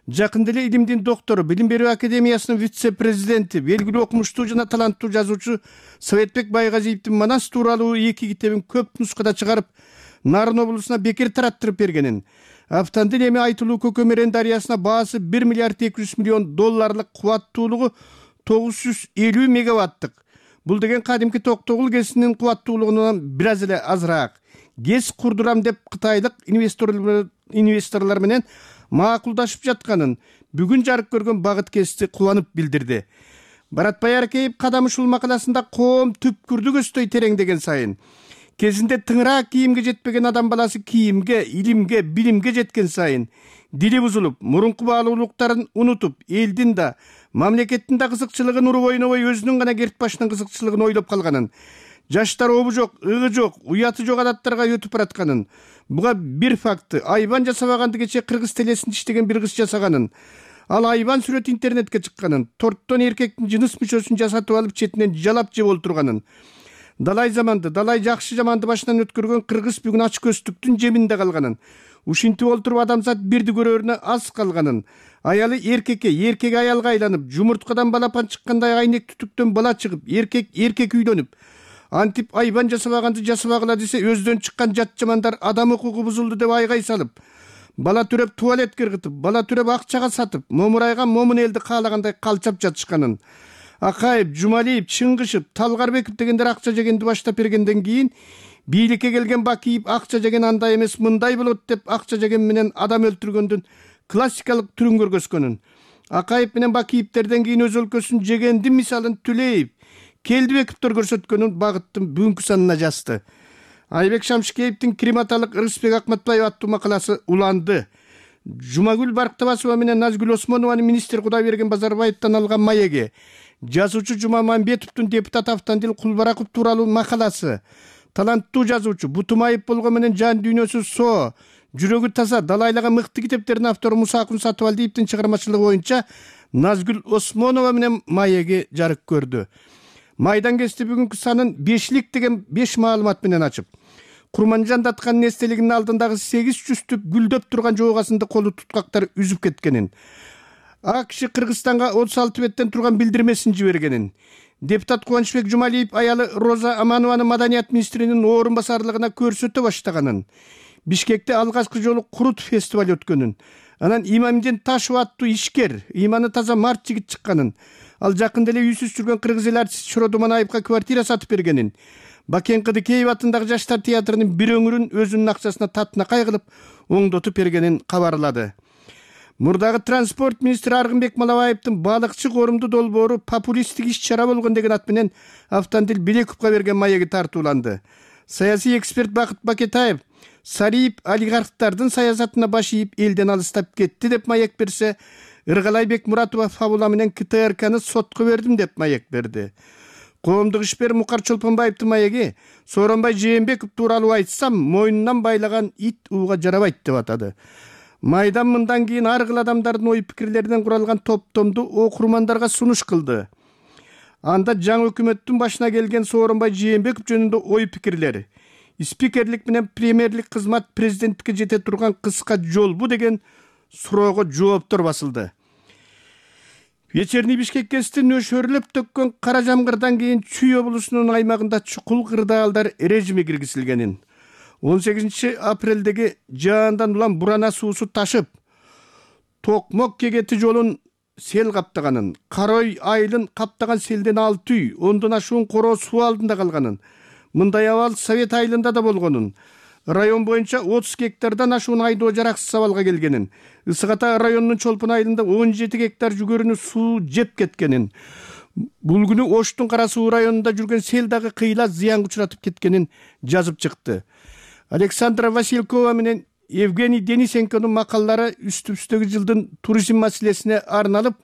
жакында эле Илимдин доктору, Билим берүү академиясынын вице-президенти, белгилүү окумуштуу жана таланттуу жазуучу Советбек Байгазиевдин Манас тууралуу эки китебин көп нускада чыгарып, Нарын облусуна бекер тараттырып бергенин, Автандил эми айтылуу Көкөмөрөн дарыясына баасы бир миллиард эки жүз миллион долларлык кубаттуулугу тогуз жүз элүү мегаваттык. Бул деген кадимки Токтогул ГЭСинин кубаттуулугунан бир аз эле азыраак. ГЭС курдурам деп кытайлык инвесторлор инвесторлор менен макулдашып жатканын бүгүн жарык көргөн Багыт ГЭСти кубанып билдирди. Баратбай Аркеев Кадам ушул макаласында коом түпкүрдү көздөй тереңдеген сайын кезинде тыңыраак кийимге жетпеген адам баласы кийимге, илимге, билимге жеткен сайын дили бузулуп, мурунку баалуулуктарын унутуп, элдин да, мамлекеттин да кызыкчылыгын уруп ойнобой өзүнүн гана керт башынын кызыкчылыгын ойлоп калганын, жаштар обу жок, ыгы жок, уяты жок адаттарга өтүп баратканын, буга бир факты айбан жасабаганды кече кыргыз телесинде иштеген бир кыз жасаганын, ал айбан сүрөт интернетке чыкканын, торттон эркектин жыныс мүчөсүн жасатып алып четинен жалап жеп олтурганын, далай заманды, далай жакшы жаманды башынан өткөргөн кыргыз бүгүн ач көздүктүн жеминде калганын, ушинтип олтуруп адамзат бирди көрөрүнө аз калганын, аялы эркекке, эркек аялга айланып, жумурткадан балапан чыккандай айнек түтүктөн бала чыгып, эркек эркек үйлөнүп, антип айбан жасабаганды жасабагыла десе өздөн чыккан жат жамандар адам укугу бузулду деп айгай салып, бала төрөп туалетке ыргытып, бала төрөп акчага сатып, момурайган момун элди каалагандай калчап жатышканын, Акаев, Жумалиев, Чыңгышев, Талгарбеков дегендер акча жегенди баштап бергенден кийин бийликке келген Бакиев акча жеген андай эмес мындай болот деп акча жеген менен адам өлтүргөндүн классикалык түрүн көргөзгөнүн, Акаев менен Бакиевтерден кийин өз өлкөсүн жегендин мисалын Түлеев, Келдибековдор көрсөткөнүн багыттын бүгүнкү санына жазды. Айбек Шамшикеевдин Крематалык Рыспек Акматбаев аттуу макаласы уланды. Жумагүл Барктабасова менен Назгүл Осмонованын министр Кудайберген Базарбаевден алган маеги, жазуучу Жумамамбетовдун депутат Автандил Кулбараков тууралуу макаласы, таланттуу жазуучу Бутумаев болгон менен жан дүйнөсү соо, жүрөгү таза, далайлаган мыкты китептердин автору Мусакун Сатыбалдиевдин чыгармачылыгы боюнча Назгүл Осмонова менен маеги жарык көрдү. Майдан кести бүгүнкү санын бешлик деген беш маалымат менен ачып, Курманжан Даткандын эстелигинин алдындагы сегиз жүзтүп гүлдөп турган жоогасында колу туткактар үзүп кеткенин, АКШ Кыргызстанга отуз алты беттен турган билдирмесин жибергенин, депутат Кубанычбек Жумалиев аялы Роза Аманованы маданият министринин орун басарлыгына көрсөтө баштаганын, Бишкекте алгачкы жолу Курут фестиваль өткөнүн, анан Имамдин Ташев аттуу ишкер, иманы таза март жигит чыкканын, ал жакында эле үйсүз жүргөн кыргыз эл артисти Шоро Думанаевга квартира сатып бергенин, Бакен Кыдыкеев атындагы жаштар театрынын бир өңүрүн өзүнүн акчасына татынакай кылып оңдотуп бергенин кабарлады. Мурдагы транспорт министри Аргынбек Малабаевдин балыкчы корумду долбоору популисттик иш-чара болгон деген ат менен Автандил Белековго берген маеги тартууланды. Саясий эксперт Бакыт Бакетаев Сариев олигархтардын саясатына баш ийип элден алыстап кетти деп маек берсе, Ыргалай Бекмуратова фабула менен КТРКны сотко бердим деп маек берди. Коомдук ишмер Мукар Чолпонбаевдин маеги Сооронбай Жээнбеков тууралуу айтсам, мойнунан байлаган ит ууга жарабайт деп атады. Майдан мындан кийин ар кыл адамдардын ой пикирлеринен куралган топтомду окурмандарга сунуш кылды. Анда жаңы өкмөттүн башына келген Сооронбай Жээнбеков жөнүндө ой пикирлери, спикерлик менен премьерлик кызмат президенттикке жете турган кыска жолбу деген суроого жооптор басылды. Вечерний Бишкек кести нөшөрлөп төккөн кара жамгырдан кийин Чүй облусунун аймагында чукул кырдаалдар режими киргизилгенин, он сегизинчи апрелдеги жаандан улам бурана суусу ташып, Токмок Кегети жолун сел каптаганын, Карой айылын каптаган селден алты үй, ондон ашуун короо суу алдында калганын, мындай абал Совет айылында да болгонун, район боюнча отуз гектардан ашуун айдоо жараксыз абалга келгенин, Ысык Ата районунун Чолпон айылында он жети гектар жүгөрүнү суу жеп кеткенин, бул күнү Оштун Кара Суу районунда жүргөн сел дагы кыйла зыянга учуратып кеткенин жазып чыкты. Александра Василькова менен Евгений Денисенконун макалалары үстүбүздөгү жылдын туризм маселесине арналып,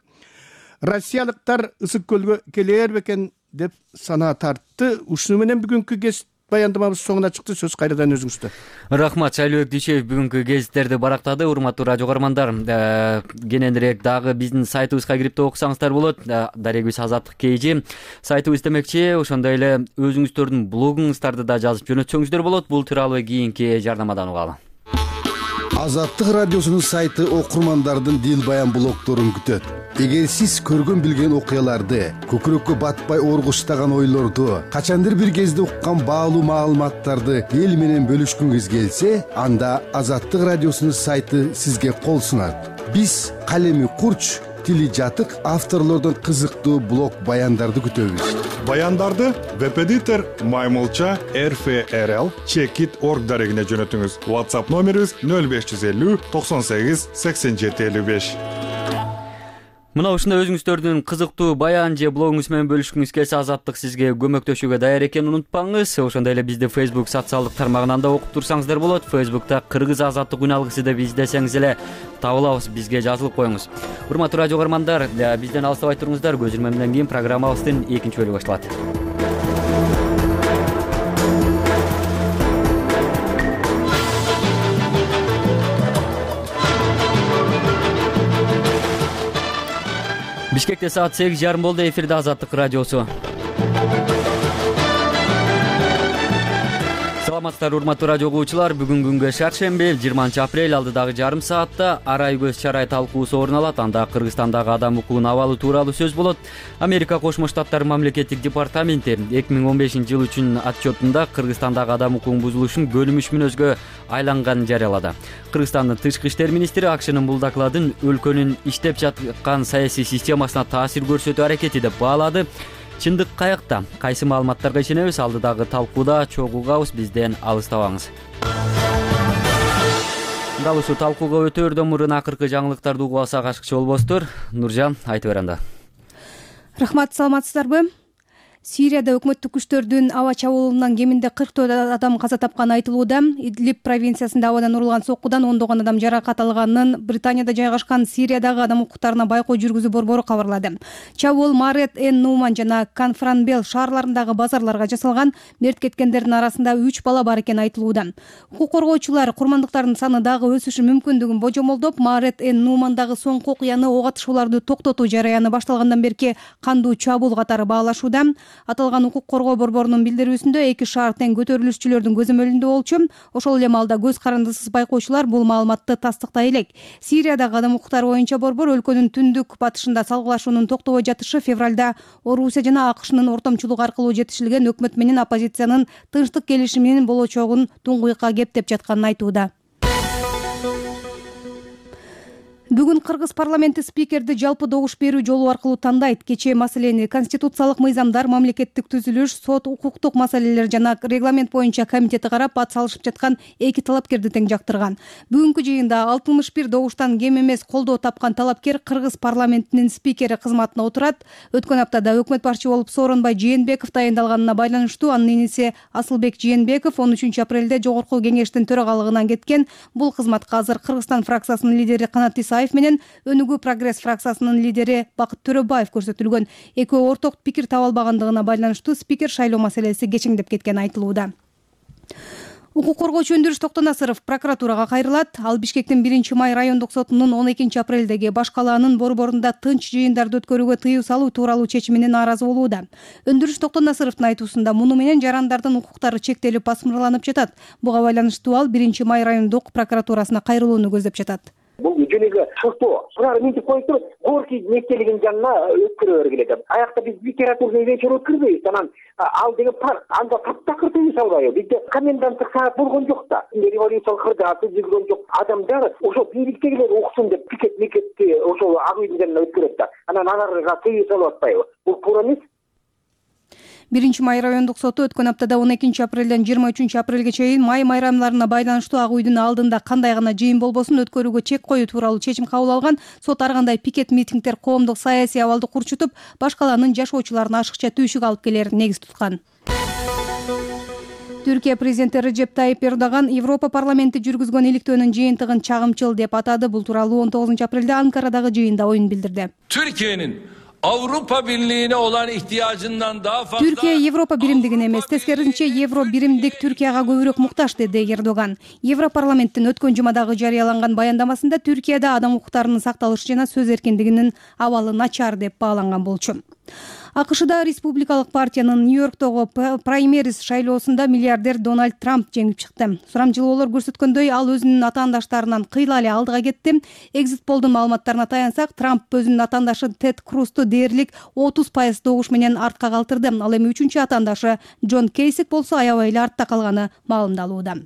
россиялыктар Ысык көлгө келер бекен деп санаа тартты. Ушуну менен бүгүнкү гезит баяндамабыз соңуна чыкты. Сөз кайрадан өзүңүздө. Рахмат, Шайлыбек Дүйшеев бүгүнкү гезиттерди барактады. Урматтуу радио көрөрмандар, кененирээк дагы биздин сайтыбызга кирип окусаңыздар болот. Дарегибиз Азаттык Кейжи сайтыбыз демекчи. Ошондой эле өзүңүздөрдүн блогуңуздарды да жазып жөнөтсөңүздөр болот. Бул тууралуу кийинки жарнамадан угалы. Азаттык радиосунун сайты окурмандардын дил баян блогдорун күтөт. Эгер сиз көргөн билген окуяларды, көкүрөккө батпай оргуштаган ойлорду, качандыр бир кезде уккан баалуу маалыматтарды эл менен бөлүшкүңүз келсе, анда Азаттык радиосунун сайты сизге кол сунат. Биз калеми курч, тили жатык авторлордон кызыктуу блог баяндарды күтөбүз. Баяндарды веб-эдитор Маймылча эр эф эр эл чекит точка орг дарегине жөнөтүңүз. WhatsApp номерибиз нөл беш жүз элүү токсон сегиз сексен жети элүү беш. Мына ушундай өзүңүздөрдүн кызыктуу баян же блогуңуз менен бөлүшкүңүз келсе, Азаттык сизге көмөктөшүүгө даяр экенин унутпаңыз. Ошондой эле бизди Facebook социалдык тармагынан да окуп турсаңыздар болот. Facebook'та Кыргыз Азаттык үн алгысы деп издесеңиз эле табылабыз, бизге жазылып коюңуз. Урматтуу радио көрөрмандар, бизден алыстабай туруңуздар. Көз ирмемден кийин программабыздын экинчи бөлүгү башталат. Бишкекте саат сегиз жарым болду. Эфирде Азаттык радиосу. Саламатсыздар урматтуу радио угуучулар. Бүгүн күнгө шаршемби, жыйырманчы апрель, алдыдагы жарым саатта арай көз чарай талкуусу орун алат. Анда Кыргызстандагы адам укугунун абалы тууралуу сөз болот. Америка Кошмо Штаттары мамлекеттик департаменти эки миң он бешинчи жыл үчүн отчетунда Кыргызстандагы адам укугунун бузулушун көлүмүш мүнөзгө айланганын жарыялады. Кыргызстандын тышкы иштер министри АКШнын бул докладын өлкөнүн иштеп жаткан саясий системасына таасир көрсөтүү аракети деп баалады. Чындык каякта? Кайсы маалыматтарга ишенебиз? Алдыдагы талкууда чогуу угабыз, бизден алыстабаңыз. Дал ушул талкууга өтөөрдөн мурун акыркы жаңылыктарды угуп алсак ашыкчы болбосуздар. Нуржан, айтып бер анда. Рахмат, саламатсыздарбы? Сирияда өкмөттүк күчтөрдүн аба чабуулунан кеминде кырк төрт адам каза тапканы айтылууда. Идлиб провинциясында абадан урулган соккудан ондогон адам жаракат алганын Британияда жайгашкан Сириядагы адам укуктарына байкоо жүргүзүү борбору кабарлады. Чабуул Марет Эн Нуман жана Канфранбел шаарларындагы базарларга жасалган. Мерт кеткендердин арасында үч бала бар экени айтылууда. Укук коргоочулар курмандыктардын саны дагы өсүшү мүмкүндүгүн божомолдоп, Марет Эн Нумандагы соңку окуяны ок атышууларды токтотуу жараяны башталгандан берки кандуу чабуул катары баалашууда. Аталган укук коргоо борборунун билдирүүсүндө эки шаар тең көтөрүлүшчүлөрдүн көзөмөлүндө болчу. Ошол эле маалда көз карандысыз байкоочулар бул маалыматты тастыктай элек. Сириядагы адам укуктары боюнча борбор өлкөнүн түндүк батышында салгылашуунун токтобой жатышы февралда Орусия жана АКШнын ортомчулугу аркылуу жетишилген өкмөт менен оппозициянын тынчтык келишиминин болочогун туңгуйкка кептеп жатканын айтууда. Бүгүн Кыргыз парламенти спикерди жалпы добуш берүү жолу аркылуу тандайт. Кечээ маселени конституциялык мыйзамдар, мамлекеттик түзүлүш, сот, укуктук маселелер жана регламент боюнча комитети карап, ат салышып жаткан эки талапкерди тең жактырган. Бүгүнкү жыйында алтымыш бир добуштан кем эмес колдоо тапкан талапкер Кыргыз парламентинин спикери кызматына отурат. Өткөн аптада өкмөт башчы болуп Сооронбай Жээнбеков тайындалганына байланыштуу анын иниси Асылбек Жээнбеков он үчүнчү апрелде жогорку кеңештин төрагалыгынан кеткен. Бул кызматка азыр Кыргызстан фракциясынын лидери Канат Исаев менен Өнүгүү прогресс фракциясынын лидери Бакыт Төрөбаев көрсөтүлгөн. Экөө орток пикир таба албагандыгына байланыштуу спикер шайлоо маселеси кечеңдеп кеткени айтылууда. Укук коргоочу Өндүрүш Токтонасыров прокуратурага кайрылат. Ал Бишкектин биринчи май райондук сотунун он экинчи апрелдеги баш калаанын борборунда тынч жыйындарды өткөрүүгө тыюу салуу тууралуу чечимине нааразы болууда. Өндүрүш Токтонасыровдун айтуусунда муну менен жарандардын укуктары чектелип басмырланып жатат. Буга байланыштуу ал биринчи май райондук прокуратурасына кайрылууну көздөп жатат. Бул жөнүгө шыртоо. Булар мынтип коюп туруп, Горький мектебинин жанына өткөрө бергиле деп. Аякта биз литературный вечер өткөрбөйбүз. Анан ал деген парк, анда таптакыр тыюу салбайбы? Бизде коменданттык саат болгон жок да. Революциялык кырдааты жүргөн жок. Адамдар ошо бийликтегилер уксун деп пикет мекетти ошол ак үйдүн жанына өткөрөт да. Анан аларга тыюу салып атпайбы? Бул туура эмес. биринчи май райондук соту өткөн аптада он экинчи апрелден жыйырма үчүнчү апрелге чейин май майрамдарына байланыштуу ак үйдүн алдында кандай гана жыйын болбосун өткөрүүгө чек коюу тууралуу чечим кабыл алган. Сот ар кандай пикет митингдер коомдук саясий абалды курчутуп, баш калаанын жашоочуларына ашыкча түйшүк алып келерин негиз туткан. Түркия президенти Режеп Тайип Эрдоган Европа парламенти жүргүзгөн иликтөөнүн жыйынтыгын чагымчыл деп атады. Бул тууралуу он тогузунчу апрелде Анкарадагы жыйында оюн билдирди. Türkiye'nin Avrupa Birliği'ne olan ihtiyacından daha fazla... Türkiye Европа биримдигине эмес, тескерисинче Евро биримдик Түркияга көбүрөөк муктаж, деди Эрдоган. Европарламенттин өткөн жумадагы жарыяланган баяндамасында Түркияда адам укуктарынын сакталышы жана сөз эркиндигинин абалы начар деп бааланган болчу. АКШда республикалык партиянын Нью-Йорктогу праймериз шайлоосунда миллиардер Дональд Трамп жеңип чыкты. Сурамчылоолор көрсөткөндөй, ал өзүнүн атаандаштарынан кыйла эле алдыга кетти. Exit Poll'дун маалыматтарына таянсак, Трамп өзүнүн атаандашы Тед Крузду дээрлик отуз пайыз добуш менен артка калтырды. Ал эми үчүнчү атаандашы Джон Кейсик болсо аябай эле артта калганы маалымдалууда.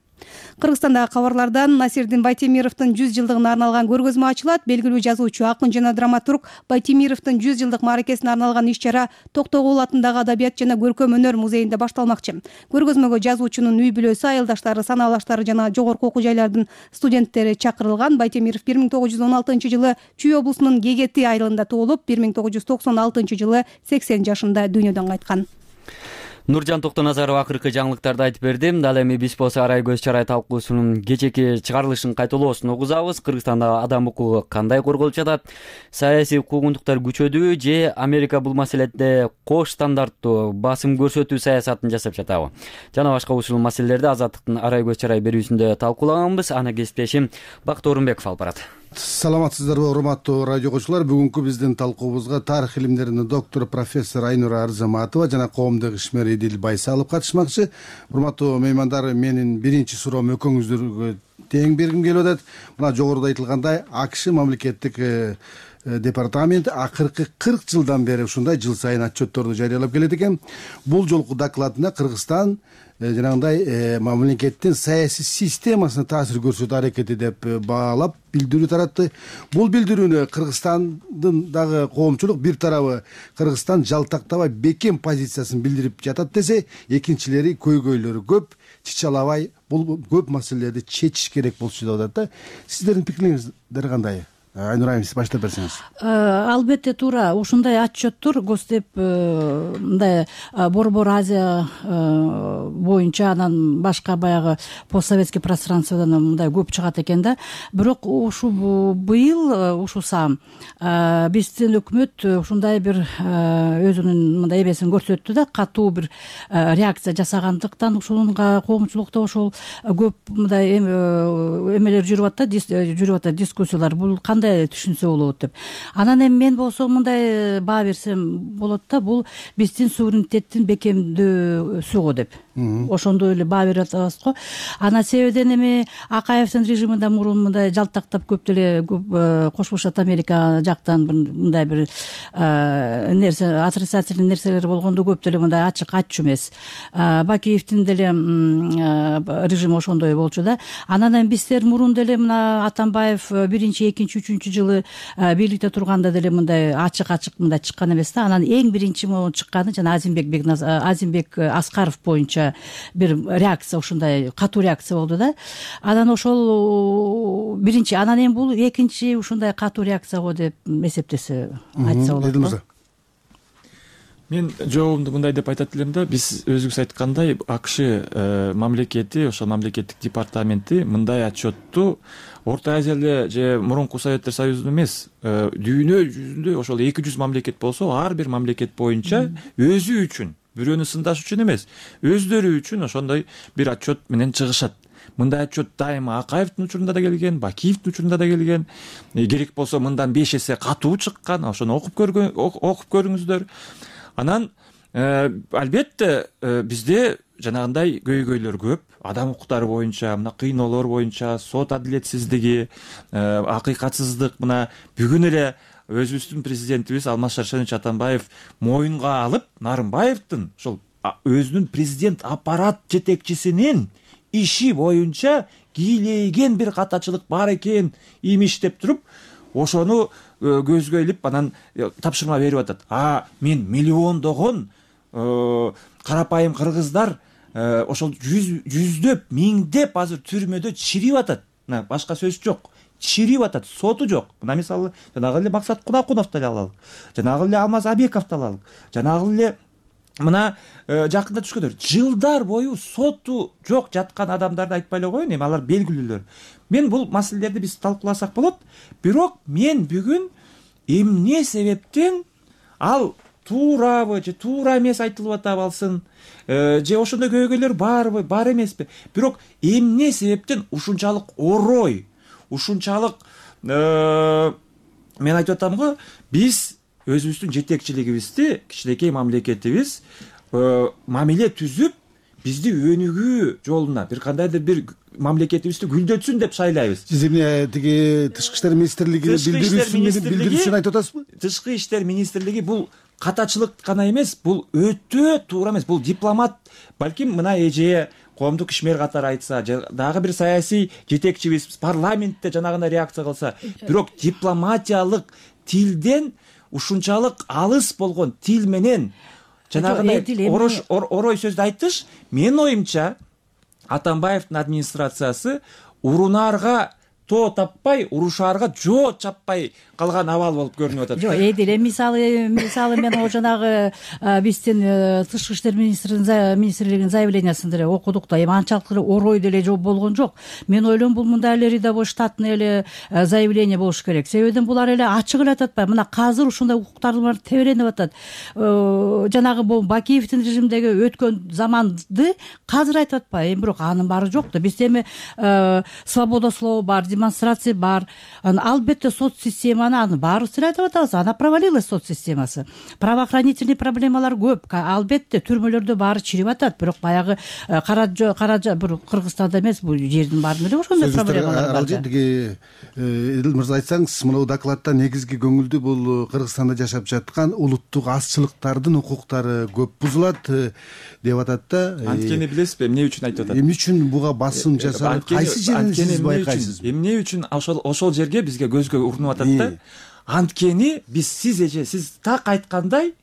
Кыргызстандагы кабарлардан Насирдин Байтемировдун жүз жылдыгына арналган көргөзмө ачылат. Белгилүү жазуучу, акын жана драматург Байтемировдун жүз жылдык мааракесине арналган иш-чара Токтогул атындагы Адабият жана көркөм өнөр музейинде башталмакчы. Көргөзмөгө жазуучунун үй бүлөсү, айылдаштары, санаалаштары жана жогорку окуу жайлардын студенттери чакырылган. Байтемиров бир миң тогуз жүз он алтынчы жылы Чүй облусунун Гегети айылында туулуп, бир миң тогуз жүз токсон алтынчы жылы сексен жашында дүйнөдөн кайткан. Нуржан Токтоназаров акыркы жаңылыктарды айтып берди. Ал эми биз болсо арай көз чарай талкуусунун кечеки чыгарылышын кайталоосун угузабыз. Кыргызстанда адам укугу кандай корголуп жатат? Саясий куугунтуктар күчөдүбү же Америка бул маселеде кош стандарттуу басым көрсөтүү саясатын жасап жатабы? Жана башка ушул маселелерди Азаттыктын арай көз чарай берүүсүндө талкуулаганбыз. Аны кесиптешим Бакыт Орунбеков алып барат. Саламатсыздарбы, урматтуу радио окуучулар. Бүгүнкү биздин талкуубузга тарых илимдеринин доктору профессор Айнура Арзаматова жана коомдук ишмер Эдил Байсалов катышмакчы. Урматтуу меймандар, менин биринчи суроом экөөңүздөргө тең бергим келип атат. Мына жогоруда айтылгандай, АКШ мамлекеттик департаменти акыркы кырк жылдан бери ушундай жыл сайын отчетторду жарыялап келет экен. Бул жолку докладында Кыргызстан жанагындай мамлекеттин саясий системасына таасир көрсөтүү аракети деп баалап билдирүү таратты. Бул билдирүүнү Кыргызстандын дагы коомчулук бир тарабы Кыргызстан жалтактабай бекем позициясын билдирип жатат десе, экинчилери көйгөйлөрү көп, чычалабай бул көп маселелерди чечиш керек болчу деп атат да. Сиздердин пикириңиздер кандай? Айнура айым, сиз баштап берсеңиз. Албетте туура. Ушундай отчеттор Госдеп мындай Борбор Азия боюнча, анан башка баягы постсоветский пространстводан мындай көп чыгат экен да. Бирок ушул быйыл ушул саам биздин өкмөт ушундай бир өзүнүн мындай эбесин көрсөттү да, катуу бир реакция жасагандыктан ушунга коомчулукта ошол көп мындай эмелер жүрүп атат да, жүрүп атат дискуссиялар. Бул кандай түшүнсө болот деп. Анан эми мен болсо мындай баа берсем болот да, бул биздин суверенитеттин бекемдөөсү го деп. Ошондой эле баа берип атабыз го. Анан себебиден эми Акаевдин режиминде мурун мындай жалтактап көп деле Кошмо Штат Америка жактан мындай бир нерсе, отрицательный нерселер болгондо көп деле мындай ачык айтчу эмес. Бакиевдин деле режими ошондой болчу да. Анан эми биздер мурун деле мына Атамбаев биринчи, экинчи, үчүнчү жылы бийликте турганда деле мындай ачык-ачык мындай чыккан эмес да. Анан эң биринчи могу чыкканы жана Азимбек Азимбек Аскаров боюнча бир реакция, ушундай катуу реакция болду да. Анан ошол биринчи, анан эми бул экинчи ушундай катуу реакция го деп эсептесе айтса болот. Мен жообумду мындай деп айтат элем да, биз өзүңүз айткандай АКШ мамлекети, ошол мамлекеттик департаменти мындай отчетту Орто Азияда же мурунку Советтер Союзунун эмес, дүйнө жүзүндө ошол эки жүз мамлекет болсо, ар бир мамлекет боюнча өзү үчүн, бирөөнү сындаш үчүн эмес, өздөрү үчүн ошондой бир отчет менен чыгышат. Мындай отчет дайыма Акаевдин учурунда да келген, Бакиевдин учурунда да келген. Керек болсо мындан беш эсе катуу чыккан. Ошону окуп көргөн, окуп көрүңүздөр. Анан албетте бизде жанагындай көйгөйлөр көп. Адам укуктары боюнча, мына кыйноолор боюнча, сот адилетсиздиги, акыйкатсыздык, мына бүгүн эле өзүбүздүн президентибиз Алмаз Шаршенович Атамбаев моюнга алып, Нарымбаевдин ошол өзүнүн президент аппарат жетекчисинин иши боюнча кийлеген бир катачылык бар экен имиш деп туруп, ошону көзгө илип анан тапшырма берип атат. А мен миллиондогон карапайым кыргыздар ошол жүздөп, миңдеп азыр түрмөдө чирип атат. Башка сөз жок. Чирип атат, соту жок. Мына мисалы жанагы эле Максат Кунакуновду эле алалык. Жанагы эле Алмаз Абековду алалык. Жанагы эле мына жакында түшкөндөр жылдар бою соту жок жаткан адамдарды айтпай эле коеюн, эми алар белгилүүлөр. Мен бул маселелерди биз талкууласак болот. Бирок мен бүгүн эмне себептен ал туурабы же туура эмес айтылып атабы алсын, же ошондой көйгөйлөр барбы, бар эмеспи? Бирок эмне себептен ушунчалык орой, ушунчалык мен айтып атам го, биз өзүбүздүн жетекчилигибизди, кичинекей мамлекетибиз мамиле түзүп, бизди өнүгүү жолуна бир кандайдыр бир мамлекетибизди гүлдөтсүн деп шайлайбыз. Сиз эмне тиги Тышкы иштер министрлигине билдирүүсүн айтып атасызбы? Тышкы иштер министрлиги бул катачылык гана эмес, бул өтө туура эмес, бул дипломат, балким мына эже коомдук ишмер катары айтса, дагы бир саясий жетекчибиз парламентте жанагындай реакция кылса, бирок дипломатиялык тилден ушунчалык алыс болгон тил менен жанагындай орой сөздү айтыш, менин оюмча Атамбаевдин администрациясы урунаарга тоо таппай, урушаарга жоо чаппай калган абал болуп көрүнүп атат. Жок, эдил эми мисалы мисалы мен о жанагы биздин тышкы иштер министрлигинин заявлениясын деле окудук да, эми анчалык эле орой деле жооп болгон жок. Мен ойлойм, бул мындай эле рядовой штатный эле заявление болуш керек. Себебинен булар эле ачык эле айтып атпайбы, мына азыр ушундай укуктарды бар тебеленип атат. Жанагы бул Бакиевдин режимдеги өткөн заманды азыр айтып атпайбы, эми бирок анын баары жок да. Бизде эми свобода слова бар, демонстрация бар. Албетте соцсистема анын баарыбыз эле айтып атабыз, ана провалилась соцсистемасы. Правоохранительный проблемалар көп. Албетте түрмөлөрдө баары чирип атат, бирок баягы кара кара бир Кыргызстанда эмес, бул жердин баарында эле ошондой проблемалар бар. Тиги Эдил мырза, айтсаңыз, мына докладда негизги көңүлдүү бул Кыргызстанда жашап жаткан улуттук азчылыктардын укуктары көп бузулат деп атат да. Анткени билесизби, эмне үчүн айтып атат? Эмне үчүн буга басым жасалып, кайсы жерин сиз байкайсыз? Эмне үчүн ошол ошол жерге бизге көзгө урунуп атат да? Анткени биз сиз эже сиз так айткандай,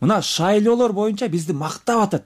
мына шайлоолор боюнча бизди мактап атат.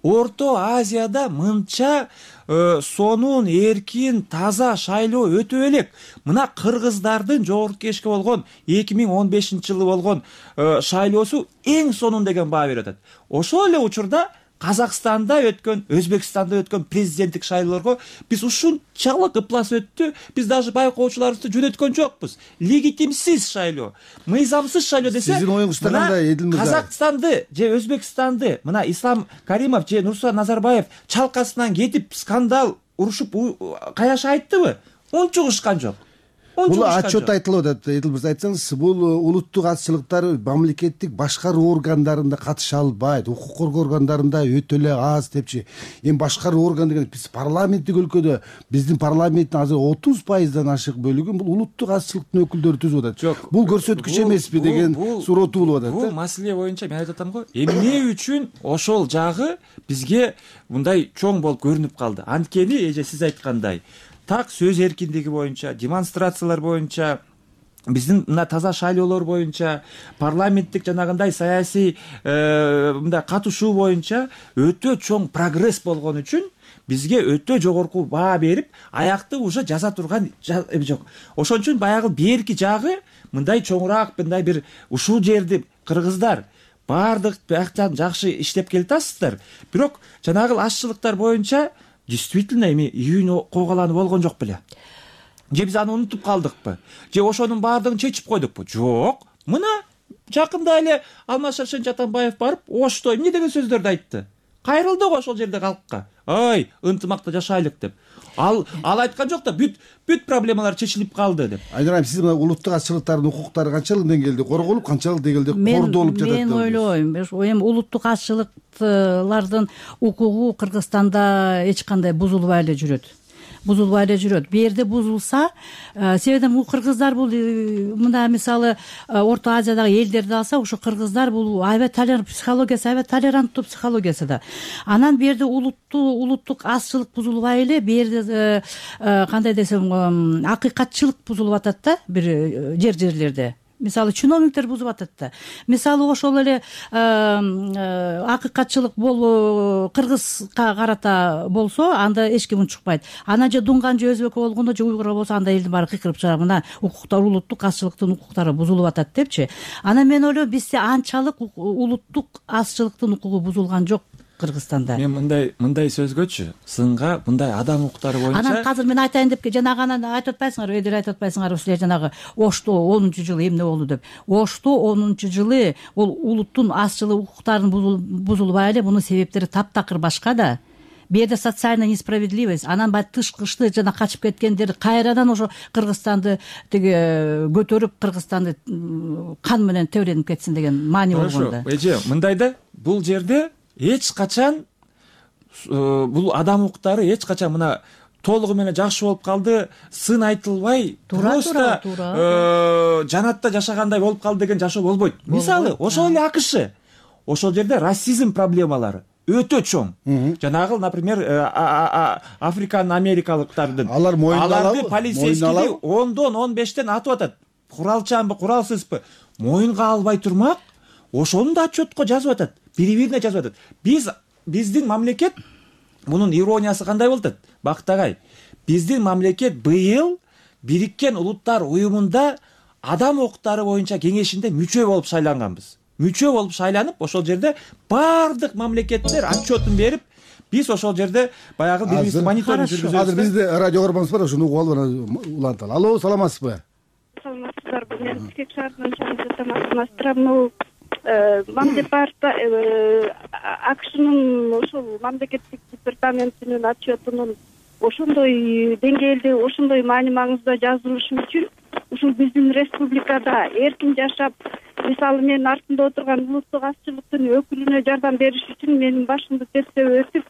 Орто Азияда мынча сонун, эркин, таза шайлоо өтө элек. Мына кыргыздардын жогорку кеңешке болгон эки миң он бешинчи жылы болгон шайлоосу эң сонун деген баа берип атат. Ошол эле учурда Казакстанда өткөн, Өзбекстанда өткөн президенттик шайлоолорго биз ушунчалык ыплас өттү, биз даже байкоочуларыбызды жөнөткөн жокпуз. Легитимсиз шайлоо, мыйзамсыз шайлоо десе, сиздин оюңузда кандай, Эдил мырза? Казакстанды же Өзбекстанды мына Ислам Каримов же Нурсултан Назарбаев чалкасынан кетип скандал урушуп каяша айттыбы? Унчугушкан жок. Бул отчет айтылып атат. Эдил мырза, айтсаңыз, бул улуттук азчылыктар мамлекеттик башкаруу органдарында катыша албайт, укук коргоо органдарында өтө эле аз депчи. Эми башкаруу орган деген биз парламенттик өлкөдө, биздин парламенттин азыр отуз пайыздан ашык бөлүгүн бул улуттук азчылыктын өкүлдөрү түзүп атат. Жок, бул көрсөткүч эмеспи деген сурооттуу болуп атат. Бул маселе боюнча мен айтып атам го, эмне үчүн ошол жагы бизге мындай чоң болуп көрүнүп калды? Анткени эже сиз айткандай, так сөз эркиндиги боюнча, демонстрациялар боюнча, биздин мына таза шайлоолор боюнча, парламенттик жанагындай саясий мындай катышуу боюнча өтө чоң прогресс болгон үчүн бизге өтө жогорку баа берип, аякты уже жаза турган жок. Ошон үчүн баягы берки жагы мындай чоңураак, мындай бир ушул жерди кыргыздар баардык бияктан жакшы иштеп келатасыздар. Бирок жанагы азчылыктар боюнча действительно эми үйүн койгуланып болгон жок беле? Же биз аны унутуп калдыкпы? Же ошонун баардыгын чечип койдукпу? Жок. Мына жакында эле Алмаз Шаршенович Атамбаев барып, Ошто эмне деген сөздөрдү айтты? Кайрылды го ошол жерде калкка. Ой, ынтымакта жашайлык деп. Ал ал айткан жок да, бүт бүт проблемалар чечилип калды деп. Айнурайым, сиз мына улуттук азчылыктардын укуктары канчалык деңгээлде корголуп, канчалык деңгээлде кордолуп жатат деп? Мен ойлойм, эми улуттук азчылыктардын укугу Кыргызстанда эч кандай бузулбай эле жүрөт. Бузулбай эле жүрөт. Бу жерде бузулса, себебинен бул кыргыздар бул мына мисалы Орто Азиядагы элдерди алса, ошо кыргыздар бул аябай толерант психологиясы, аябай толеранттуу психологиясы да. Анан бу жерде улуттуу улуттук азчылык бузулбай эле, бу жерде кандай десем, акыйкатчылык бузулуп атат да бир жер жерлерде. Мисалы чиновниктер бузуп атат да. Мисалы ошол эле акыйкатчылык болуу кыргызга карата болсо, анда эч ким унчукпайт. Ана же дунган же өзбек болгондо же уйгур болсо, анда элдин баары кыйкырып чыгат. Мына укуктар, улуттук азчылыктын укуктары бузулуп атат депчи. Анан мен ойлойм, бизде анчалык улуттук азчылыктын укугу бузулган жок Кыргызстанда. Мен мындай мындай сөзгөчү, сынга мындай адам укуктары боюнча. Анан азыр мен айтайын деп жанагы анан айтып атпайсыңарбы, эдер айтып атпайсыңарбы силер жанагы Ошто онунчу жылы эмне болду деп. Ошто онунчу жылы бул улуттун азчылык укуктарынын бузулбай эле, мунун себептери таптакыр башка да. Бу жерде социальная несправедливость, анан баягы тышкычты жана качып кеткендер кайрадан ошо Кыргызстанды тиги көтөрүп, Кыргызстанды кан менен тебренип кетсин деген маани болгондо. Эже, мындай да, бул жерде эч качан бул адам укуктары эч качан мына толугу менен жакшы болуп калды, сын айтылбай, просто жанатта жашагандай болуп калды деген жашоо болбойт. Мисалы, ошол эле АКШ, ошол жерде расизм проблемалары өтө чоң. Жанагы, например, африкан америкалыктардын алар мойнуна алабы? Аларды полицейскийди ондон он бештен атып атат. Куралчанбы, куралсызбы? Моюнга албай турмак, ошону да отчетко жазып атат. Бири-бирине жазып атат. Биз биздин мамлекет, мунун ирониясы кандай болуп атат? Бактагай, биздин мамлекет быйыл Бириккен Улуттар уюмунда адам укуктары боюнча кеңешинде мүчө болуп шайланганбыз. Мүчө болуп шайланып, ошол жерде бардык мамлекеттер отчетун берип, биз ошол жерде баягы бирибизди мониторинг жүргүзөбүз. Азыр бизде радио көрбөңүз бар, ошону угуп алып уланталы. Алло, саламатсызбы? Саламатсыздарбы? Мен Бишкек шаарынан чалып мамдепарта акшнын ошол мамлекеттик департаментинин отчетунун ошондой деңгээлде, ошондой маани маңызда жазылышы үчүн ушул биздин республикада эркин жашап, мисалы мен артында отурган улуттук азчылыктын өкүлүнө жардам бериш үчүн менин башымды тестеп өтүп,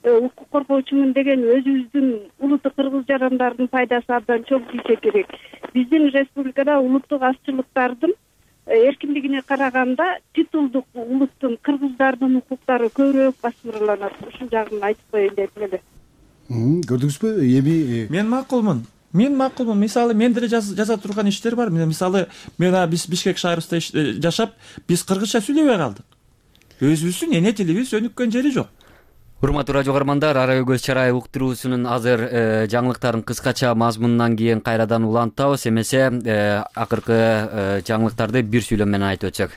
укук коргоочумун деген өзүбүздүн улуттук кыргыз жарандардын пайдасы абдан чоң тийсе керек. Биздин республикада улуттук азчылыктардын эркиндигине караганда титулдук улуттун кыргыздардын укуктары көбүрөөк басымдалат. Ушул жагын айтып коеюн дедим эле. Көрдүңүзбү? Эми мен макулмун. Мен макулмун. Мисалы, мен деле жаза турган иштер бар. Мисалы, мен биз Бишкек шаарында жашап, биз кыргызча сүйлөбөй калдык. Өзүбүздүн эне тилибиз өнүккөн жери жок. Урматтуу радио көрөрмандар, Ара Көз Чарай уктуруусунун азыр жаңылыктарын кыскача мазмунунан кийин кайрадан улантабыз. Эмесе акыркы жаңылыктарды бир сүйлөм менен айтып өтсөк.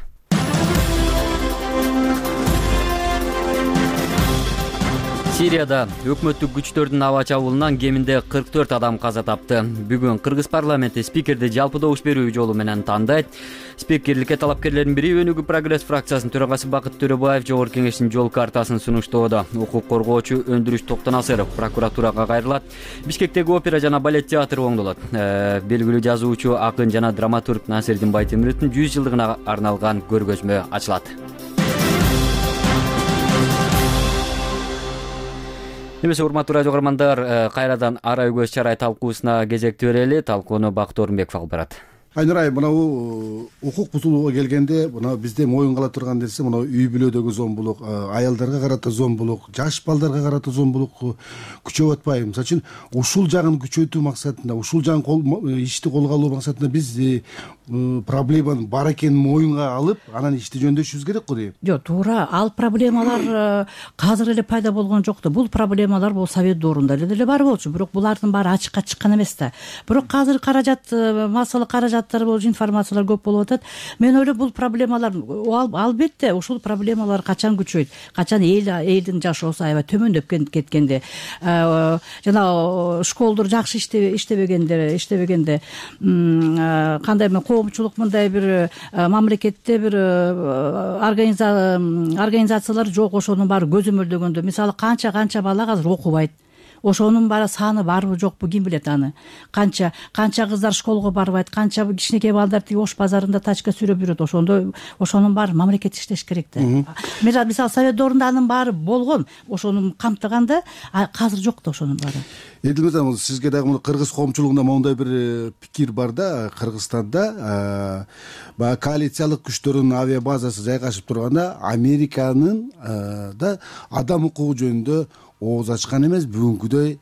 Сирияда өкмөттүк күчтөрдүн аба чабуулунан кеминде кырк төрт адам каза тапты. Бүгүн Кыргыз парламенти спикерди жалпы добуш берүү жолу менен тандайт. Спикерликке талапкерлердин бири Өнүгүү прогресс фракциясынын төрагасы Бакыт Төрөбаев Жогорку кеңештин жол картасын сунуштоодо. Укук коргоочу Өндүрүш Токтонасыров прокуратурага кайрылат. Бишкектеги опера жана балет театры оңдолот. Белгилүү жазуучу, акын жана драматург Насирдин Байтемировдун жүз жылдыгына арналган көргөзмө ачылат. Эмесе урматтуу радио көрөрмандар, кайрадан Ара Көз Чарай талкуусуна кезекти берели. Талкууну Бакыт Орунбеков алып барат. Айнурай, мынау укук бузулууга келгенде, мына бизде моюнга ала турган нерсе, мына үй бүлөдөгү зомбулук, аялдарга карата зомбулук, жаш балдарга карата зомбулук күчөп атпайбы? Мисалы үчүн, ушул жагын күчөтүү максатында, ушул жагын ишти колго алуу максатында биз проблеманын бар экенин моюнга алып, анан ишти жөндөшүбүз керек го дейм. Жок, туура. Ал проблемалар азыр эле пайда болгон жок да. Бул проблемалар бул Совет доорунда эле бар болчу, бирок булардын баары ачыкка чыккан эмес да. Бирок азыр каражат, массалык каражаттар болчу, информациялар көп болуп атат. Мен ойлойм, бул проблемалар албетте ушул проблемалар качан күчөйт, качан эл элдин жашоосу аябай төмөндөп кеткенде, жана школдор жакшы иштебегенде, иштебегенде, кандай коомчулук мындай бир мамлекетте бир организациялар жок, ошонун баары көзөмөлдөгөндө, мисалы канча канча бала азыр окубайт. Ошонун баары саны барбы жокпу, ким билет аны. Канча канча кыздар школго барбайт, канча кичинекей балдар тиги Ош базарында тачка сүрөп жүрөт. Ошондо ошонун баары мамлекет иштеш керек да. Мисалы Совет доорунда анын баары болгон, ошону камтыганда, азыр жок да ошонун баары. Эдил мырза, сизге дагы мына кыргыз коомчулугунда моундай бир пикир бар да, Кыргызстанда баягы коалициялык күчтөрдүн авиа базасы жайгашып турганда, Американын да адам укугу жөнүндө ооз ачкан эмес, бүгүнкүдөй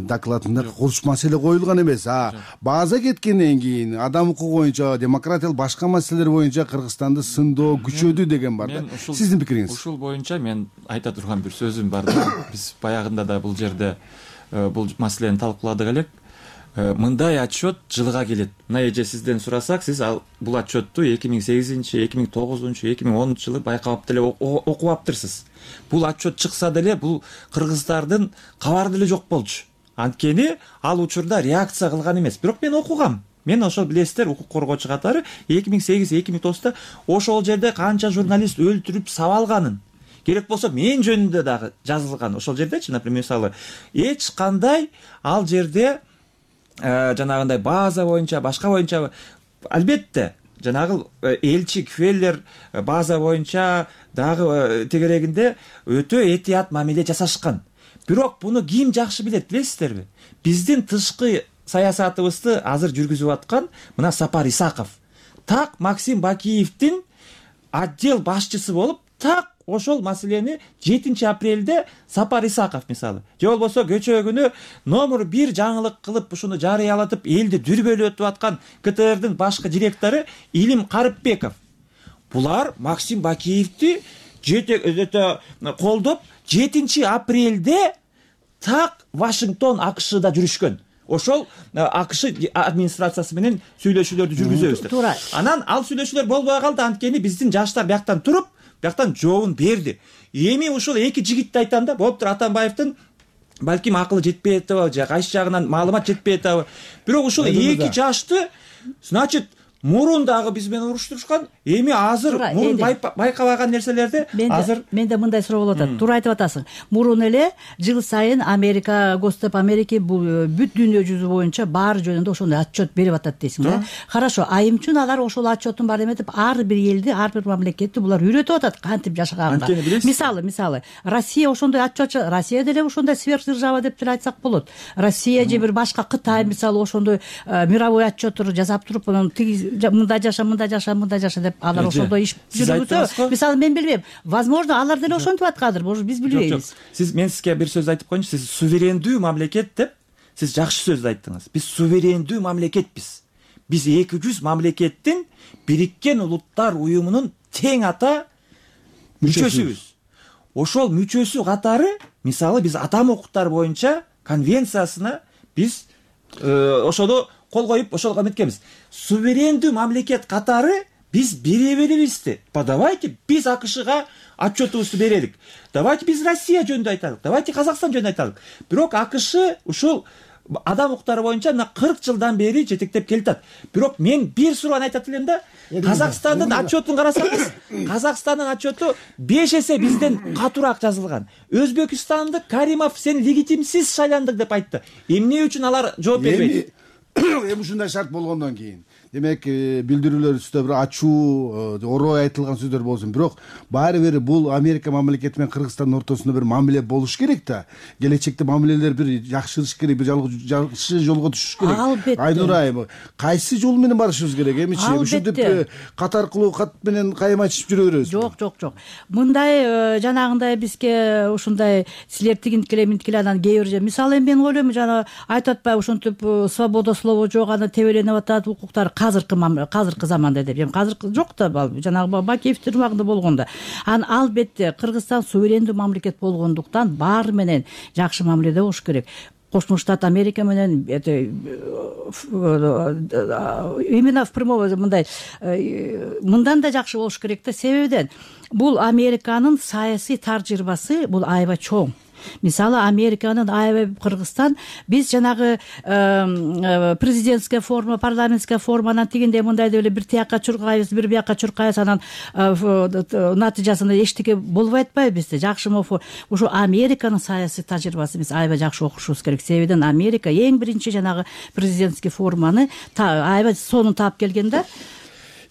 докладында курч маселе коюлган эмес. А база кеткенден кийин адам укугу боюнча, демократиялык башка маселелер боюнча Кыргызстанды сындоо күчөдү деген бар да. Сиздин пикириңиз? Ушул боюнча мен айта турган бир сөзүм бар да. Биз баягында да бул жерде бул маселени талкууладык элек. Мындай отчет жылга келет. Мына эже сизден сурасак, сиз ал бул отчетту эки миң сегизинчи, эки миң тогузунчу, эки миң онунчу жылы байкап деле окуп аптырсыз. Бул отчет чыкса деле бул кыргыздардын кабары деле жок болчу. Анткени ал учурда реакция кылган эмес. Бирок мен окугам. Мен ошол билесиздер, укук коргоочу катары эки миң сегиз эки миң тогузда ошол жерде канча журналист өлтүрүп сабалганын, керек болсо мен жөнүндө дагы жазылган. Ошол жердечи, например, мисалы, эч кандай ал жерде жанагындай база боюнча, башка боюнча, албетте жанагы элчи Кфеллер база боюнча дагы тегерегинде өтө этият мамиле жасашкан. Бирок буну ким жакшы билет, билесиздерби? Биздин тышкы саясатыбызды азыр жүргүзүп аткан мына Сапар Исаков. Так Максим Бакиевдин отдел башчысы болуп, так ошол маселени жетинчи апрелде Сапар Исаков мисалы же болбосо кечээ күнү номер бир жаңылык кылып ушуну жарыялатып элди дүрбөлөтүп аткан КТРдин башкы директору Илим Карыпбеков, булар Максим Бакиевди колдоп жетинчи апрелде так Вашингтон АКШда жүрүшкөн. Ошол АКШ администрациясы менен сүйлөшүүлөрдү жүргүзөбүз деп. Анан ал сүйлөшүүлөр болбой калды, анткени биздин жаштар бияктан туруп, бияктан жообун берди. Эми ушул эки жигитти айтам да, болуптур Атамбаевдин балким акылы жетпей атабы, же кайсы жагынан маалымат жетпей атабы. Бирок ушул эки жашты, значит, мурун дагы биз менен уруштурушкан, эми азыр мурун байкабаган нерселерди азыр менде мындай суроо болуп атат. Туура айтып атасың. Мурун эле жыл сайын Америка, Госдеп Америки бул бүт дүйнө жүзү боюнча баары жөнүндө ошондой отчет берип атат дейсиң да. Хорошо, айым үчүн алар ошол отчеттун баары эметип, ар бир элди, ар бир мамлекетти булар үйрөтүп атат кантип жашаганга. Мисалы, мисалы, Россия ошондой отчет, Россия деле ошондой сверхдержава деп деле айтсак болот. Россия же бир башка Кытай мисалы ошондой мировой отчеттор жасап туруп, анан мындай жаша, мындай жаша, мындай жаша деп алар ошондой иш жүргүзө. Мисалы мен билбейм. Возможно, алар деле ошентип аткандыр, может биз билбейбиз. Сиз мен сизге бир сөз айтып коеюнчу. Сиз суверендүү мамлекет деп сиз жакшы сөз айттыңыз. Биз суверендүү мамлекетпиз. Биз эки жүз мамлекеттин Бириккен Улуттар уюмунун тең ата мүчөсүбүз. Ошол мүчөсү катары, мисалы биз адам укуктары боюнча конвенциясына биз ошону кол коюп ошого эметкенбиз. Суверендүү мамлекет катары биз бере беребизди. Давайте биз АКШга отчетубузду берелик. Давайте биз Россия жөнүндө айтайлык. Давайте Казакстан жөнүндө айтайлык. Бирок АКШ ушул адам укуктары боюнча мына кырк жылдан бери жетектеп келатат. Бирок мен бир суроону айтат элем да. Казакстандын отчетун карасаңыз, Казакстандын отчету беш эсе бизден катуураак жазылган. Өзбекстандык Каримов сен легитимсиз шайландың деп айтты. Эмне үчүн алар жооп бербейт? Эми ушундай шарт болгондон кийин демек билдирүүлөр үстүндө бир ачуу орой айтылган сөздөр болсун, бирок баары бир бул Америка мамлекети менен Кыргызстандын ортосунда бир мамиле болуш керек да. Келечекте мамилелер бир жакшырыш керек, бир жакшы жолго түшүш керек. Албетте. Айнур айым, кайсы жол менен барышыбыз керек эмичи? Ушинтип кат аркылуу кат менен кайым айтышып жүрө беребиз. Жок, жок, жок. Мындай жанагындай бизге ушундай силер тигинткиле минткиле анан кээ бир мисалы мен ойлойм жана айтып атпайбы ушинтип свобода слова жок, аны тебеленип атат укуктар азыркы азыркы заманда деп. Эми азыр жок да, жанагы Бакиевдин убагында болгондо. Анан албетте Кыргызстан суверендүү мамлекет болгондуктан баары менен жакшы мамиледе болуш керек. Кошмо Штат Америка менен именно в прямой мындай мындан да жакшы болуш керек да. Себебиден бул Американын саясий тажрыйбасы бул аябай чоң. Мисалы Американын аябай Кыргызстан биз жанагы президентская форма, парламентская форманан тигиндей мындай деп эле бир тиякка чуркайбыз, бир бияка чуркайбыз, анан натыйжасында эчтеке болбой атпайбы бизде. Жакшы мофу ушу Американын саясий тажрыйбасы биз аябай жакшы окушубуз керек. Себебиден Америка эң биринчи жанагы президентский форманы аябай сонун таап келген да.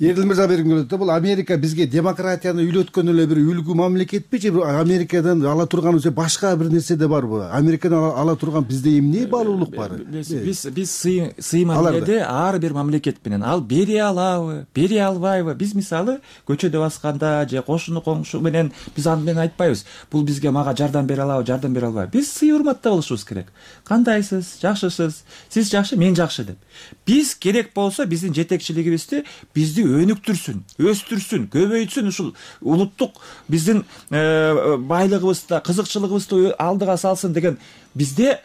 Эрдил мырза бергим келет да, бул Америка бизге демократияны үйлөткөн эле бир үлгү мамлекетпи же Америкадан ала турган же башка бир нерсе да барбы? Америкадан ала турган бизде эмне баалуулук бар? Биз биз сый мамиледе ар бир мамлекет менен ал бере алабы, бере албайбы? Биз мисалы көчөдө басканда же кошуну коңшу менен биз аны менен айтпайбыз. Бул бизге мага жардам бере алабы, жардам бере албайбы? Биз сый урматта болушубуз керек. Кандайсыз? Жакшысыз? Сиз жакшы, мен жакшы деп. Биз керек болсо биздин жетекчилигибизди бизди өнүктүрсүн, өстүрсүн, көбөйтсүн, ушул улуттук биздин байлыгыбызды, кызыкчылыгыбызды алдыга салсын деген. Бизде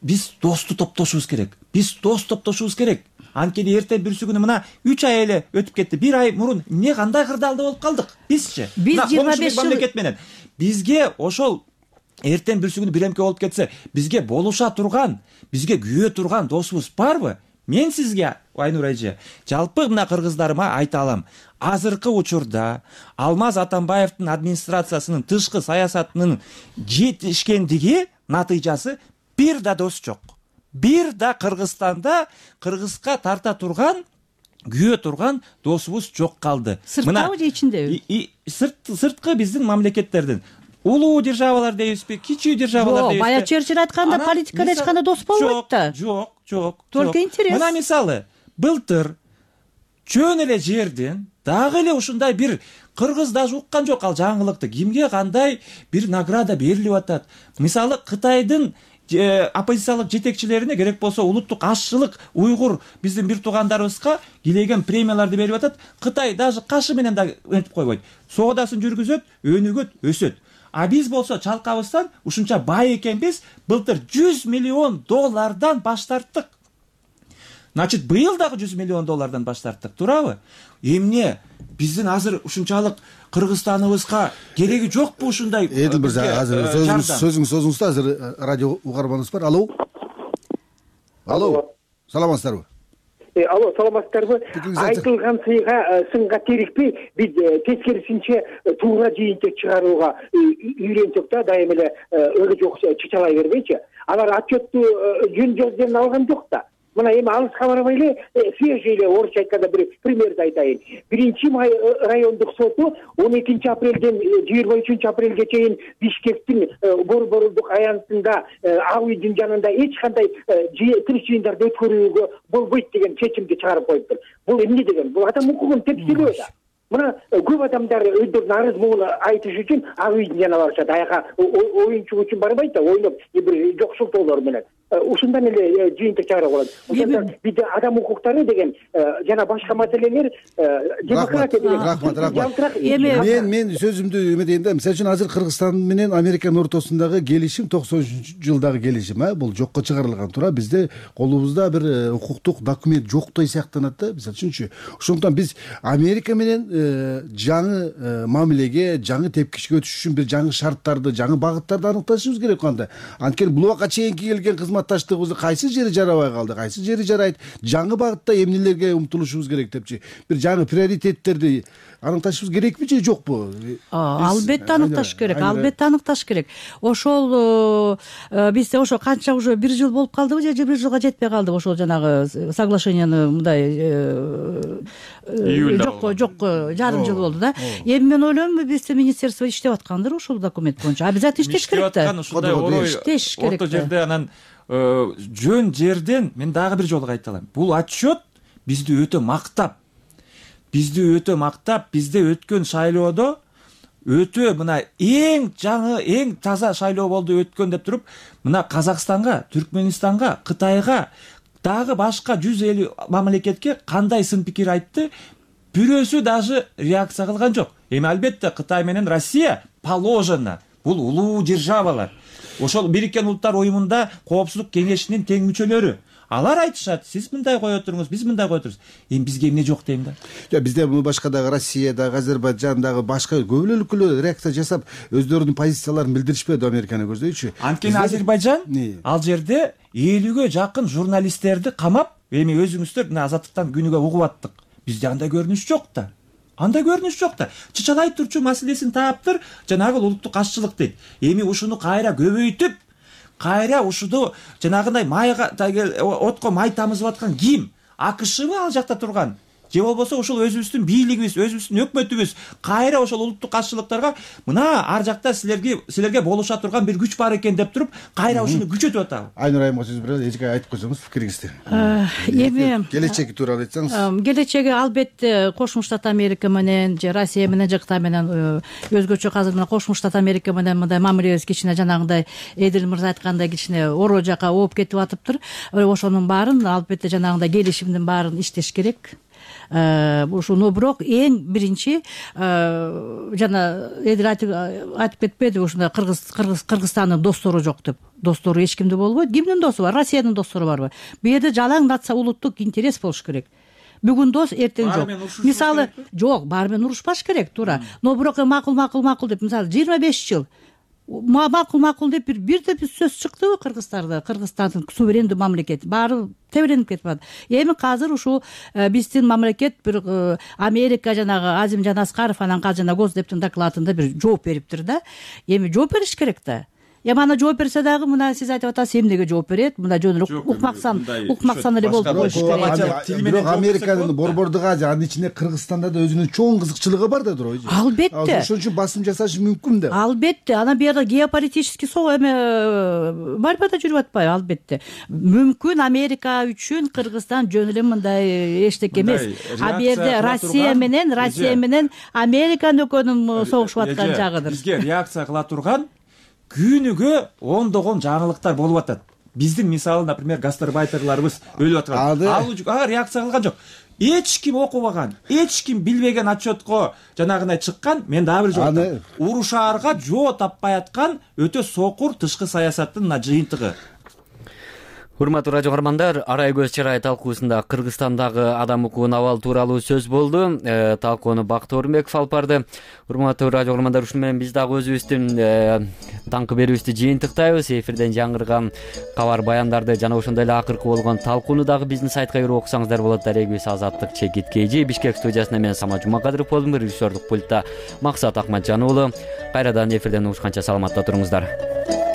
биз досту топтошубуз керек. Биз дос топтошубуз керек. Анткени эртең бүрсү күнү мына үч ай эле өтүп кетти. бир ай мурун эмне кандай кырдаалда болуп калдык бизчи? Биз жыйырма беш мамлекет менен бизге ошол эртең бүрсү күнү биремке болуп кетсе, бизге болуша турган, бизге күйө турган досубуз барбы? Мен сизге Айнур эже жалпы мына кыргыздарыма айта алам. Азыркы учурда Алмаз Атамбаевдин администрациясынын тышкы саясатынын жетишкендиги натыйжасы бир да дос жок. Бир да Кыргызстанда Кыргызга тарта турган, күйө турган досубуз жок калды. Сырттабы же ичиндеби? Сырткы биздин мамлекеттердин. Улуу державалар дейбизби, кичүү державалар дейбизби? Жок, бая Черчилль айтканда политикада эч кандай дос болбойт да. Жок, жок. Только интерес. Мына мисалы, былтыр чөн эле жердин дагы эле ушундай бир кыргыз даже уккан жок ал жаңылыкты, кимге кандай бир награда берилип атат. Мисалы Кытайдын оппозициялык жетекчилерине керек болсо улуттук ашчылык уйгур биздин бир туугандарыбызга килеген премияларды берип атат. Кытай даже кашы менен да антип койбойт. Соодасын жүргүзөт, өнүгөт, өсөт. А биз болсо чалкабыздан ушунча бай экенбиз, былтыр жүз миллион доллардан баш тарттык. Значит, быйыл дагы жүз миллион доллардан баш тарттык, туурабы? Эмне биздин азыр ушунчалык Кыргызстаныбызга кереги жокпу ушундай? Эдил мырза, азыр сөзүңүз сөзүңүз созуңуз да, азыр радио угарманыбыз бар. Алло. Алло. Саламатсыздарбы? Алло, саламатсыздарбы? Айтылган сыйга сынга терикпей, биз тескерисинче туура жыйынтык чыгарууга үйрөнсөк да, дайым эле өлө жок чычалай бербейчи. Алар отчетту жөн жерден алган жок да. Мына эми алыска барбай эле свежий эле орусча айтканда бир примерди айтайын. Биринчи май райондук соту он экинчи апрелден жыйырма үчүнчү апрелге чейин Бишкектин борбордук аянтында ак үйдүн жанында эч кандай тирик жыйындарды өткөрүүгө болбойт деген чечимди чыгарып коюптур. Бул эмне деген? Бул адам укугун тепселөө да. Мына көп адамдар өздөрүнүн арыз муун айтыш үчүн ак үйдүн жанына барышат. Аяка оюнчук үчүн барбайт да, ойноп бир жокшултоолор менен. Ушундан эле жыйынтык чыгарып алат. Ошондо бизде адам укуктары деген жана башка маселелер демократия деген. Рахмат, рахмат. Мен мен сөзүмдү эметейин да. Мисалы үчүн азыр Кыргызстан менен Американын ортосундагы келишим токсон үчүнчү жылдагы келишим, а бул жокко чыгарылган туура. Бизде колубузда бир укуктук документ жоктой сыяктанат да, мисалы үчүнчү. Ошондуктан биз Америка менен жаңы мамилеге, жаңы тепкичке өтүш үчүн бир жаңы шарттарды, жаңы багыттарды аныкташыбыз керек кандай. Анткени бул убакка чейинки келген кызматташтыгыбызды кайсы жери жарабай калды, кайсы жери жарайт, жаңы багытта эмнелерге умтулушубуз керек депчи. Бир жаңы приоритеттерди аныкташыбыз керекпи же жокпу? Албетте аныкташ керек, албетте аныкташ керек. Ошол бизде ошо канча уже бир жыл болуп калдыбы же бир жылга жетпей калдыбы ошол жанагы соглашенияны мындай жокко жокко жарым жыл болду да. Эми мен ойлойм, бизде министерство иштеп аткандыр ушул документ боюнча. Обязательно иштеш керек да. Ушундай орой иштеш керек. Орто жерде анан жөн жерден мен дагы бир жолу кайталайм. Бул отчет бизди өтө мактап, бизди өтө мактап, бизде өткөн шайлоодо өтө мына эң жаңы, эң таза шайлоо болду өткөн деп туруп, мына Казакстанга, Түркменистанга, Кытайга, дагы башка жүз элүү мамлекетке кандай сын пикир айтты, бирөөсү даже реакция кылган жок. Эми албетте Кытай менен Россия положено, бул улуу державалар. Ошол Бириккен Улуттар Уюмунда Коопсуздук кеңешинин тең мүчөлөрү. Алар айтышат, сиз мындай кое туруңуз, биз мындай кое турубуз. Эми бизге эмне жок дейм да. Жок, бизде муну башкадагы Россиядагы, Азербайжандагы башка көп эле өлкөлөр реакция жасап, өздөрүнүн позицияларын билдиришпеди Американы көздөйчү. Анткени Азербайжан ал жерде элүүгө жакын журналисттерди камап, эми өзүңүздөр мына Азаттыктан күнүгө угуп аттык. Бизде андай көрүнүш жок да. Анда көрүнүш жок да. Чычалай турчу маселесин таптыр, жанагы улуттук ашчылык дейт. Эми ушуну кайра көбөйтүп, кайра ушуну жанагындай майга отко май тамызып аткан ким? АКШбы ал жакта турган? Же болбосо ошол өзүбүздүн бийлигибиз, өзүбүздүн өкмөтүбүз кайра ошол улуттук каршылыктарга мына ар жакта силерге силерге болуша турган бир күч бар экен деп туруп, кайра ушуну күчөтүп атабы? Айнур айымга сөз беребиз, эчке айтып койсоңуз пикириңизди. Эми келечеги тууралуу айтсаңыз. Келечеги албетте Кошмо Штат Америка менен же Россия менен же Кытай менен өзгөчө азыр мына Кошмо Штат Америка менен мындай мамилебиз кичине жанагындай Эдил мырза айткандай кичине ороо жака ооп кетип атыптыр. Ошонун баарын албетте жанагындай келишимдин баарын иштеш керек. Ушуну бирок эң биринчи жана Эдил айтып кетпеди, ушундай Кыргыз Кыргызстандын достору жок деп. Достору эч кимде болбойт. Кимдин досу бар? Россиянын достору барбы? Бу жерде жалаң нация улуттук интерес болуш керек. Бүгүн дос, эртең жок. Мисалы, жок, баары менен урушпаш керек, туура. Но бирок макул, макул, макул деп, мисалы, жыйырма беш жыл макул макул деп бир бир деп сөз чыктыбы Кыргызстанда? Кыргызстандын суверендүү мамлекет баары теберенип кетип атат. Эми азыр ушул биздин мамлекет бир Америка жанагы Азим Жанаскаров анан калжана Госдептин докладында бир жооп бериптир да. Эми жооп бериш керек да. эми ана жооп берсе дагы мына сиз айтып атасыз эмнеге жооп берет, мындай жөнүрөөк укмаксан укмаксан эле болуп коюш керек. Бирок Американын Борбордук Азия, анын ичинде Кыргызстанда да өзүнүн чоң кызыкчылыгы бар да туурабы? Албетте. Ошон үчүн басым жасашы мүмкүн да. Албетте, анан бuyerda геополитический соо эме борьбада жүрүп атпайбы? Албетте. Мүмкүн Америка үчүн Кыргызстан жөн эле мындай эчтеке эмес. А бу жерде Россия менен Россия менен Американын экөөнүн согушуп аткан жагыдыр. Бизге реакция кыла турган күнүгө ондогон жаңылыктар болуп атат. Биздин мисалы, например, гастарбайтерларыбыз өлүп аткан. Ал реакция кылган жок. Эч ким окубаган, эч ким билбеген отчетко жанагындай чыккан. Мен дагы бир жок. Урушаарга жоо таппай аткан өтө сокур тышкы саясаттын мына жыйынтыгы. Урматтуу радио көрөрмандар, арай көз чырай талкуусунда Кыргызстандагы адам укугун абал тууралуу сөз болду. Э, талкууну Бакыт Орунбеков алып барды. Урматтуу радио көрөрмандар, ушуну менен биз дагы өзүбүздүн э, таңкы берүүбүздү жыйынтыктайбыз. Эфирден жаңырган кабар баяндарды жана ошондой эле акыркы болгон талкууну дагы биздин сайтка кирип окусаңыздар болот. Дарегибиз Азаттык Чекит Кейжи, Бишкек студиясында мен Самат Жумакадыров болдум. Режиссердук пультта Максат Акматжан уулу. Кайрадан эфирден угушканча саламатта туруңуздар.